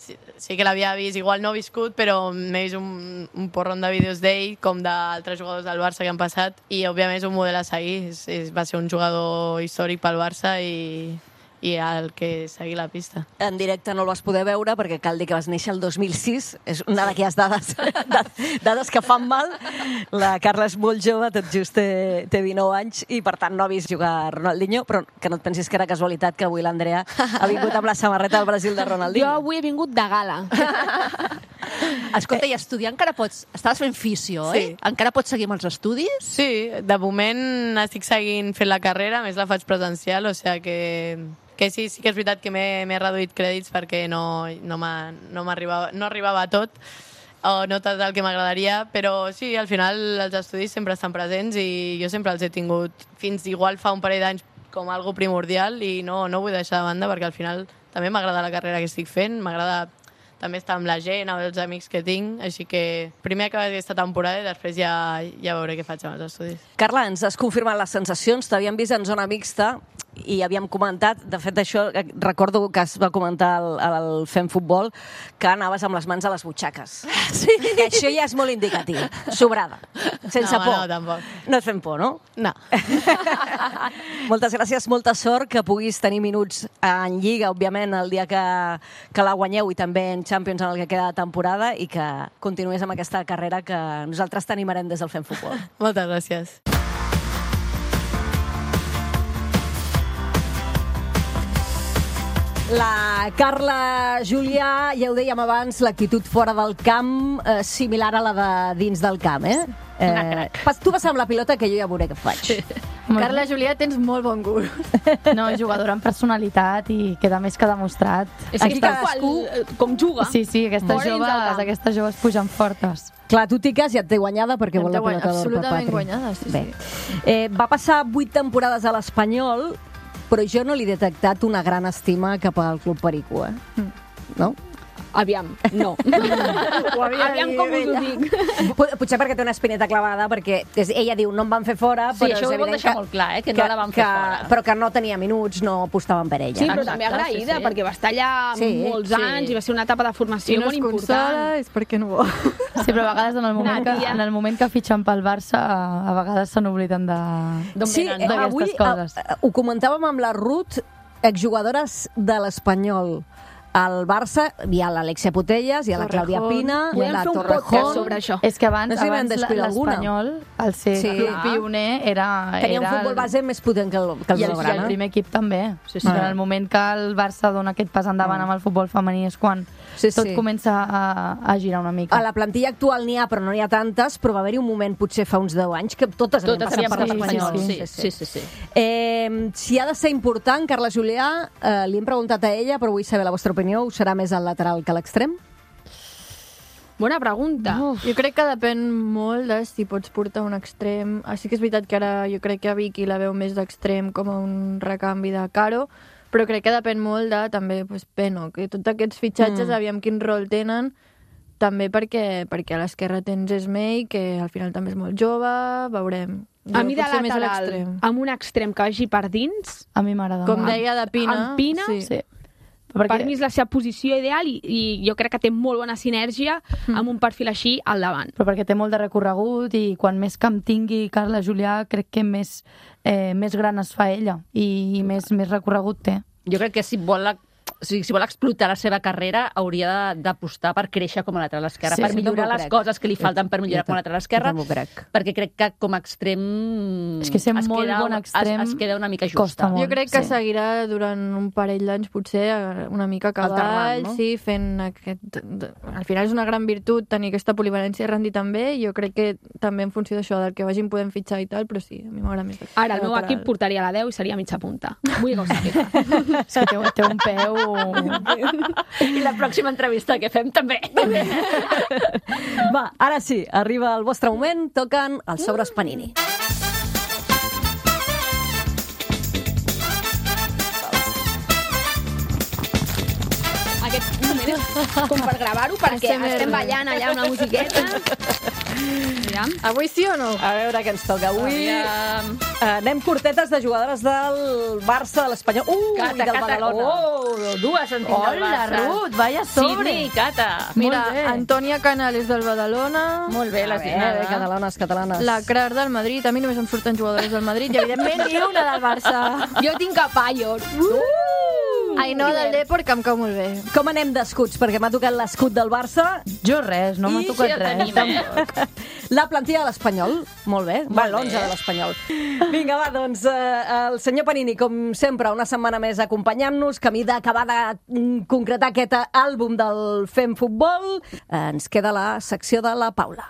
Speaker 7: sí, sí que l'havia vist, igual no he viscut, però m'he vist un, un porron de vídeos d'ell, com d'altres jugadors del Barça que han passat, i, òbviament, és un model a seguir. És, és, va ser un jugador històric pel Barça i, i el que seguir la pista.
Speaker 1: En directe no el vas poder veure perquè cal dir que vas néixer el dos mil sis. És una d'aquelles dades, dades que fan mal. La Carla és molt jove, tot just té, té dinou anys i per tant no ha vist jugar Ronaldinho, però que no et pensis que era casualitat que avui l'Andrea ha vingut amb la samarreta del Brasil de Ronaldinho.
Speaker 4: Jo avui he vingut de gala.
Speaker 3: Escolta, i estudiar encara pots... Estaves fent fisio, eh?
Speaker 7: Sí.
Speaker 3: Encara pots seguir amb els estudis?
Speaker 7: Sí, de moment estic seguint fent la carrera, a més la faig presencial, o sigui que, que sí, sí que és veritat que m'he reduït crèdits perquè no, no, no, arribava, no arribava a tot, o no tot el que m'agradaria, però sí, al final els estudis sempre estan presents i jo sempre els he tingut fins igual fa un parell d'anys com algo primordial i no, no vull deixar de banda perquè al final també m'agrada la carrera que estic fent, m'agrada també estar amb la gent, amb els amics que tinc, així que primer acabar aquesta temporada i després ja, ja veuré què faig amb els estudis.
Speaker 1: Carla, ens has confirmat les sensacions, t'havíem vist en zona mixta i havíem comentat, de fet això, recordo que es va comentar al, al Fem Futbol, que anaves amb les mans a les butxaques. Sí. Que això ja és molt indicatiu, sobrada, sense
Speaker 7: no,
Speaker 1: por.
Speaker 7: No, tampoc.
Speaker 1: No et fem por, no?
Speaker 7: No.
Speaker 1: Moltes gràcies, molta sort, que puguis tenir minuts en Lliga, òbviament, el dia que, que la guanyeu i també en Champions en el que queda de temporada i que continués amb aquesta carrera que nosaltres t'animarem des del Fem Futbol.
Speaker 7: Moltes gràcies.
Speaker 1: La Carla Julià, ja ho dèiem abans, l'actitud fora del camp, eh, similar a la de dins del camp, eh? eh pas, tu vas amb la pilota que jo ja veuré què faig.
Speaker 5: Carla Julià, tens molt bon gust.
Speaker 6: No, jugadora amb personalitat i queda més que demostrat.
Speaker 4: És que cadascú com juga.
Speaker 6: Sí, sí, aquestes
Speaker 4: Fora dins del
Speaker 6: joves,
Speaker 4: camp.
Speaker 6: aquestes joves pugen fortes.
Speaker 1: Clar, tu, Ticas, ja et té guanyada perquè
Speaker 5: Ja
Speaker 1: vol
Speaker 5: em té
Speaker 1: la pilota d'or per
Speaker 5: absolutament
Speaker 1: Patri.
Speaker 5: guanyada, sí,
Speaker 1: Bé.
Speaker 5: sí.
Speaker 1: Eh, va passar vuit temporades a l'Espanyol, però jo no li he detectat una gran estima cap al Club Perico, eh? No?
Speaker 4: Aviam, no.
Speaker 5: Ho havia
Speaker 4: Aviam
Speaker 5: de dir
Speaker 4: com us ho
Speaker 5: ella.
Speaker 4: dic.
Speaker 1: Pot- Potser perquè té una espineta clavada, perquè és, ella diu no em van fer fora,
Speaker 3: Sí,
Speaker 1: però
Speaker 3: això
Speaker 1: és
Speaker 3: ho vol
Speaker 1: evident
Speaker 3: deixar
Speaker 1: que,
Speaker 3: molt clar, eh, que no la van fer
Speaker 1: que,
Speaker 3: fora.
Speaker 1: Però que no tenia minuts, no apostaven per ella.
Speaker 4: Sí, però
Speaker 3: Exacte,
Speaker 4: també agraïda,
Speaker 3: sí, sí.
Speaker 4: perquè va estar allà
Speaker 1: Sí,
Speaker 4: molts
Speaker 3: sí.
Speaker 4: anys i va ser una etapa de formació
Speaker 5: Si no
Speaker 4: molt
Speaker 5: es
Speaker 4: important.
Speaker 5: consola és perquè no vol.
Speaker 6: Sí, però a vegades en el moment, que,
Speaker 4: Nàdia.
Speaker 6: en el moment que fitxen pel Barça, a vegades se n'obliden de...
Speaker 3: D'on
Speaker 1: Sí,
Speaker 3: venen,
Speaker 1: eh,
Speaker 3: no?
Speaker 6: d'aquestes
Speaker 1: avui
Speaker 6: coses.
Speaker 1: eh, ho comentàvem amb la Ruth, exjugadores de l'Espanyol. Al Barça hi ha l'Alexia Putelles, hi ha la Clàudia
Speaker 5: Torrejón.
Speaker 1: Pina, hi ha
Speaker 4: Podem
Speaker 1: la
Speaker 4: fer un
Speaker 1: Torrejón.
Speaker 4: podcast sobre això.
Speaker 6: És que abans,
Speaker 1: No sé si vam
Speaker 6: abans
Speaker 1: descuidar alguna.
Speaker 6: l'Espanyol, al ser
Speaker 1: Sí.
Speaker 6: club pioner, era...
Speaker 1: Tenia un
Speaker 6: era
Speaker 1: futbol
Speaker 6: el-
Speaker 1: base més potent que el, que el
Speaker 6: I el, i
Speaker 1: Blaugrana.
Speaker 6: el primer equip també.
Speaker 3: Sí, sí.
Speaker 6: En el moment que el Barça dona aquest pas endavant amb el futbol femení és quan
Speaker 1: Sí,
Speaker 6: tot
Speaker 1: sí.
Speaker 6: comença a, a girar una mica.
Speaker 1: A la plantilla actual n'hi ha, però no n'hi ha tantes, però va haver-hi un moment, potser fa uns deu anys, que totes,
Speaker 3: Totes
Speaker 1: havien
Speaker 3: havíem
Speaker 1: passat per
Speaker 3: passat
Speaker 1: l'Espanyol.
Speaker 3: sí, sí, sí, sí.
Speaker 1: Eh, si ha de ser important, Carla Julià, eh, li hem preguntat a ella, però vull saber la vostra opinió, us serà més al lateral que a l'extrem?
Speaker 4: Bona pregunta.
Speaker 5: Jo crec que depèn molt de si pots portar un extrem. Ah, sí que és veritat que ara jo crec que a Vicky la veu més d'extrem com a un recanvi de Caro, però crec que depèn molt de també pues, Peno, que tots aquests fitxatges, mm. aviam quin rol tenen, també perquè, perquè a l'esquerra tens Esmei, que al final també és molt jove, veurem.
Speaker 4: A mi de
Speaker 5: potser més a
Speaker 4: lateral,
Speaker 5: l'extrem.
Speaker 4: amb un extrem que vagi per dins,
Speaker 6: A mi m'agrada
Speaker 5: Com
Speaker 6: molt.
Speaker 5: deia de Pina,
Speaker 4: amb Pina,
Speaker 5: sí.
Speaker 6: Sí.
Speaker 4: per
Speaker 6: Perquè
Speaker 4: mi és la seva posició ideal i, i jo crec que té molt bona sinergia amb un perfil així al davant.
Speaker 6: però perquè té molt de recorregut i quan més camp tingui Carla Julià crec que més, eh, més gran es fa ella i, i més, més recorregut té.
Speaker 3: Jo crec que si vol la, o sigui, si vol explotar la seva carrera, hauria d'apostar per créixer com a lateral esquerre,
Speaker 1: Sí,
Speaker 3: per
Speaker 1: sí,
Speaker 3: millorar
Speaker 1: també ho
Speaker 3: les
Speaker 1: crec.
Speaker 3: coses que li falten per millorar com a lateral esquerre,
Speaker 1: també ho crec.
Speaker 3: perquè crec que com a extrem...
Speaker 6: És que ser
Speaker 3: es
Speaker 6: molt
Speaker 3: queda,
Speaker 6: bon extrem
Speaker 3: es, es queda una mica justa.
Speaker 6: costa molt.
Speaker 5: Jo crec que
Speaker 6: sí.
Speaker 5: seguirà durant un parell d'anys, potser una mica a cavall,
Speaker 1: Alternant, no?
Speaker 5: sí, fent aquest... Al final és una gran virtut tenir aquesta polivalència i rendir també, i jo crec que també en funció d'això, del que vagin podem fitxar i tal, però sí, a mi m'agrada més.
Speaker 4: Ara el meu
Speaker 5: lateral.
Speaker 4: equip portaria la deu i seria mitja punta. Vull que ho sàpiga.
Speaker 6: És que té, té un peu...
Speaker 3: I la pròxima entrevista que fem també.
Speaker 1: Va, ara sí, arriba el vostre moment, toquen els sobres Panini.
Speaker 4: Aquest moment és com per gravar-ho, perquè
Speaker 5: A S M R.
Speaker 4: estem ballant allà una musiqueta. Aviam.
Speaker 5: Avui sí o no?
Speaker 1: A veure què ens toca avui.
Speaker 3: Aviam.
Speaker 1: Uh, anem curtetes de jugadores del Barça, de l'Espanyol. Uh,
Speaker 3: Cata,
Speaker 1: i del
Speaker 3: Cata.
Speaker 1: Badalona.
Speaker 3: Oh, dues en tinc del
Speaker 6: Hola,
Speaker 3: Barça.
Speaker 6: Ruth, vaya sobre.
Speaker 3: Sidney, Cata.
Speaker 5: Mira,
Speaker 6: Molt bé.
Speaker 5: Antònia Canales del Badalona,
Speaker 3: Molt bé,
Speaker 1: A
Speaker 3: la
Speaker 1: veure, catalanes, catalanes.
Speaker 5: la Crar del Madrid, a mi només em surten jugadores del Madrid, i evidentment ni una del Barça.
Speaker 4: Jo tinc a Payos.
Speaker 5: Ainhoa del Depor, que em cau molt bé.
Speaker 1: Com anem d'escuts? Perquè m'ha tocat l'escut del Barça
Speaker 6: Jo res, no m'ha
Speaker 1: i
Speaker 6: tocat
Speaker 3: ja
Speaker 6: res.
Speaker 3: tenim, eh?
Speaker 1: la plantilla de l'Espanyol. Molt bé. Va, l'onze de l'Espanyol. Vinga, va, doncs eh, el senyor Panini, com sempre, una setmana més acompanyant-nos, camí d'acabar de mm, concretar aquest àlbum del Fem Futbol. Eh, ens queda la secció de la Paula.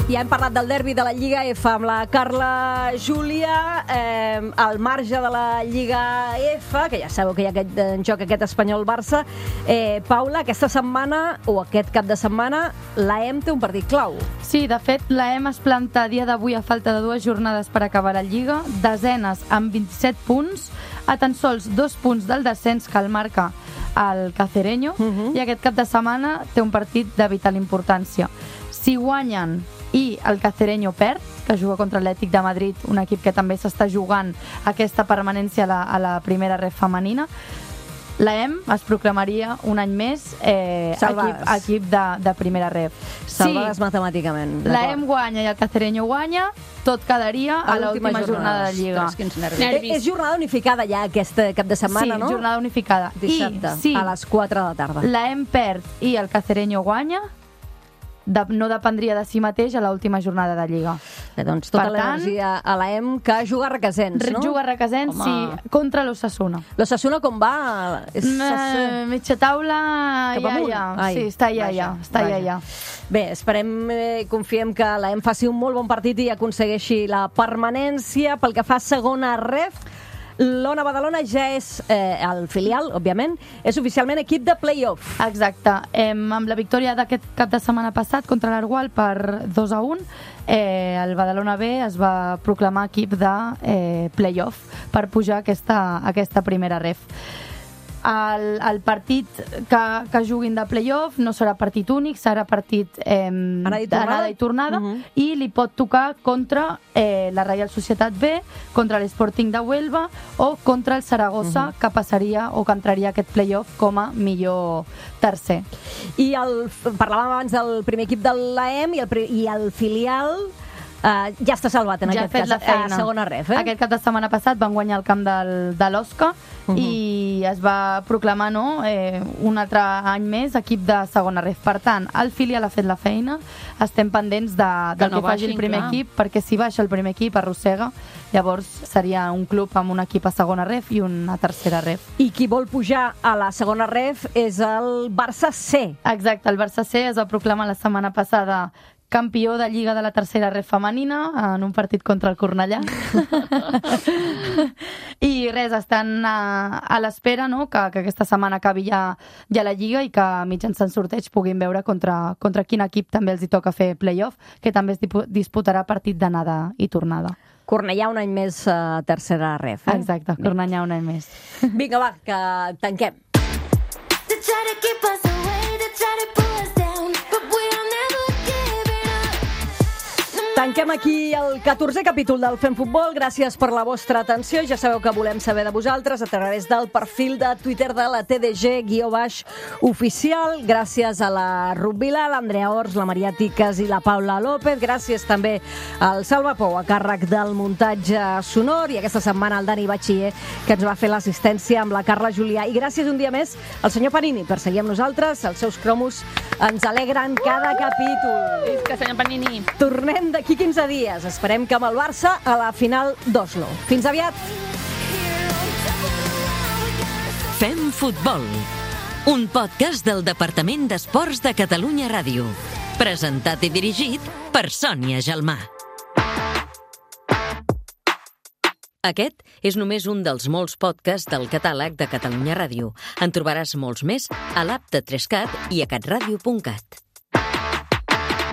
Speaker 1: Ja hem parlat del derbi de la Lliga F amb la Carla Júlia, eh, al marge de la Lliga F, que ja sabeu que hi ha aquest, en joc aquest Espanyol-Barça. Eh, Paula, aquesta setmana, o aquest cap de setmana, l'A E M té un partit clau.
Speaker 6: Sí, de fet, l'A E M es planta a dia d'avui a falta de dues jornades per acabar la Lliga, desenes amb vint-i-set punts, a tan sols dos punts del descens que el marca el Cacereño,
Speaker 1: Mhm.
Speaker 6: i aquest cap de setmana té un partit de vital importància. Si guanyen i el Cacereño perd, que juga contra l'Atlètic de Madrid, un equip que també s'està jugant aquesta permanència a la, a la primera ref femenina, l'A E M es proclamaria un any més eh, equip,
Speaker 1: Salvades.
Speaker 6: equip de, de primera ref.
Speaker 1: Salvades matemàticament.
Speaker 6: l'A E
Speaker 1: d'acord.
Speaker 6: M guanya i el Cacereño guanya, tot quedaria a,
Speaker 1: A l'última
Speaker 6: l'última jornada,
Speaker 1: jornada.
Speaker 6: de Lliga.
Speaker 3: Ostres, quins nervis.
Speaker 1: Eh,
Speaker 4: Nervis.
Speaker 1: És jornada unificada ja aquest cap de setmana,
Speaker 6: sí,
Speaker 1: no?
Speaker 6: jornada unificada.
Speaker 1: Dissabte,
Speaker 6: I si
Speaker 1: a les quatre de la tarda.
Speaker 6: l'A E M perd i el Cacereño guanya, de, no dependria de si mateix a l'última jornada de Lliga.
Speaker 1: Bé, doncs tota
Speaker 6: Per tant,
Speaker 1: l'energia a l'A E M que juga a Requesens, no?
Speaker 6: Juga a Requesens,
Speaker 3: Home.
Speaker 6: sí, contra l'Ossassuna.
Speaker 1: L'Ossassuna com va? És...
Speaker 6: Eh, mitja taula,
Speaker 1: Cap
Speaker 6: ja,
Speaker 1: amunt?
Speaker 6: ja.
Speaker 1: Ai,
Speaker 6: Sí, està ja,
Speaker 1: vaja,
Speaker 6: ja. Està ja,
Speaker 1: vaja.
Speaker 6: ja.
Speaker 1: Bé, esperem, eh, confiem que l'A E M faci un molt bon partit i aconsegueixi la permanència. Pel que fa a segona ref, l'Ona Badalona ja és eh, el filial, òbviament, és oficialment equip de play-off.
Speaker 6: Exacte. Em, amb la victòria d'aquest cap de setmana passat contra l'Argual per dos a un, eh, el Badalona B es va proclamar equip de eh, play-off per pujar aquesta, aquesta primera ref. El, el partit que, que juguin de play-off no serà partit únic, serà partit eh,
Speaker 1: Anada i tornada?
Speaker 6: d'anada i tornada,
Speaker 1: Mhm.
Speaker 6: i li pot tocar contra eh, la Reial Societat B, contra l'Sporting de Huelva o contra el Saragossa, que passaria o que entraria a aquest play-off com a millor tercer.
Speaker 1: I el, parlàvem abans del primer equip de l'A E M i el, pri- i el filial eh, ja està salvat en
Speaker 6: Ja ha
Speaker 1: aquest
Speaker 6: fet
Speaker 1: cas,
Speaker 6: la feina.
Speaker 1: a segona ref. Eh?
Speaker 6: Aquest cap de setmana passat van guanyar el camp del, de l'Osca
Speaker 1: Mhm.
Speaker 6: i es va proclamar no, eh, un altre any més equip de segona ref. Per tant, el filial ha fet la feina, estem pendents de, del
Speaker 3: Que no
Speaker 6: que faci
Speaker 3: baixin,
Speaker 6: el primer
Speaker 3: clar.
Speaker 6: equip, perquè si baixa el primer equip arrossega, llavors seria un club amb un equip a segona ref i una tercera ref.
Speaker 1: I qui vol pujar a la segona ref és el Barça C.
Speaker 6: Exacte, el Barça C es va proclamar la setmana passada campió de Lliga de la tercera ref femenina en un partit contra el Cornellà. I res, estan a, a l'espera no? que, que aquesta setmana acabi ja, ja la Lliga i que mitjançant sorteig puguin veure contra, contra quin equip també els hi toca fer play-off, que també es dipu- disputarà partit d'anada i tornada.
Speaker 1: Cornellà un any més a tercera ref. Eh?
Speaker 6: Exacte, Cornellà un any més.
Speaker 1: Vinga, va, que tanquem.
Speaker 8: To try to keep us away, to try to pull us down, but we are never giving up. No
Speaker 1: Tanquem aquí el catorzè capítol del Fem Futbol. Gràcies per la vostra atenció. Ja sabeu que volem saber de vosaltres a través del perfil de Twitter de la T D G guió baix oficial. Gràcies a la Ruth Vila, l'Andrea Ors, la Maria Tiques i la Paula López. Gràcies també al Salva Pou, a càrrec del muntatge sonor, i aquesta setmana al Dani Batxiller, que ens va fer l'assistència amb la Carla Julià. I gràcies un dia més al senyor Panini per seguir amb nosaltres. Els seus cromos ens alegren cada capítol.
Speaker 3: Visca, senyor Panini.
Speaker 1: Tornem d'aquí quinze dies. Esperem que amb el Barça a la final d'Oslo. Fins aviat!
Speaker 2: Fem Futbol, un podcast del Departament d'Esports de Catalunya Ràdio. Presentat i dirigit per Sònia Gelmà. Aquest és només un dels molts podcasts del catàleg de Catalunya Ràdio. En trobaràs molts més a l'app de tres cat i a catradio punt cat.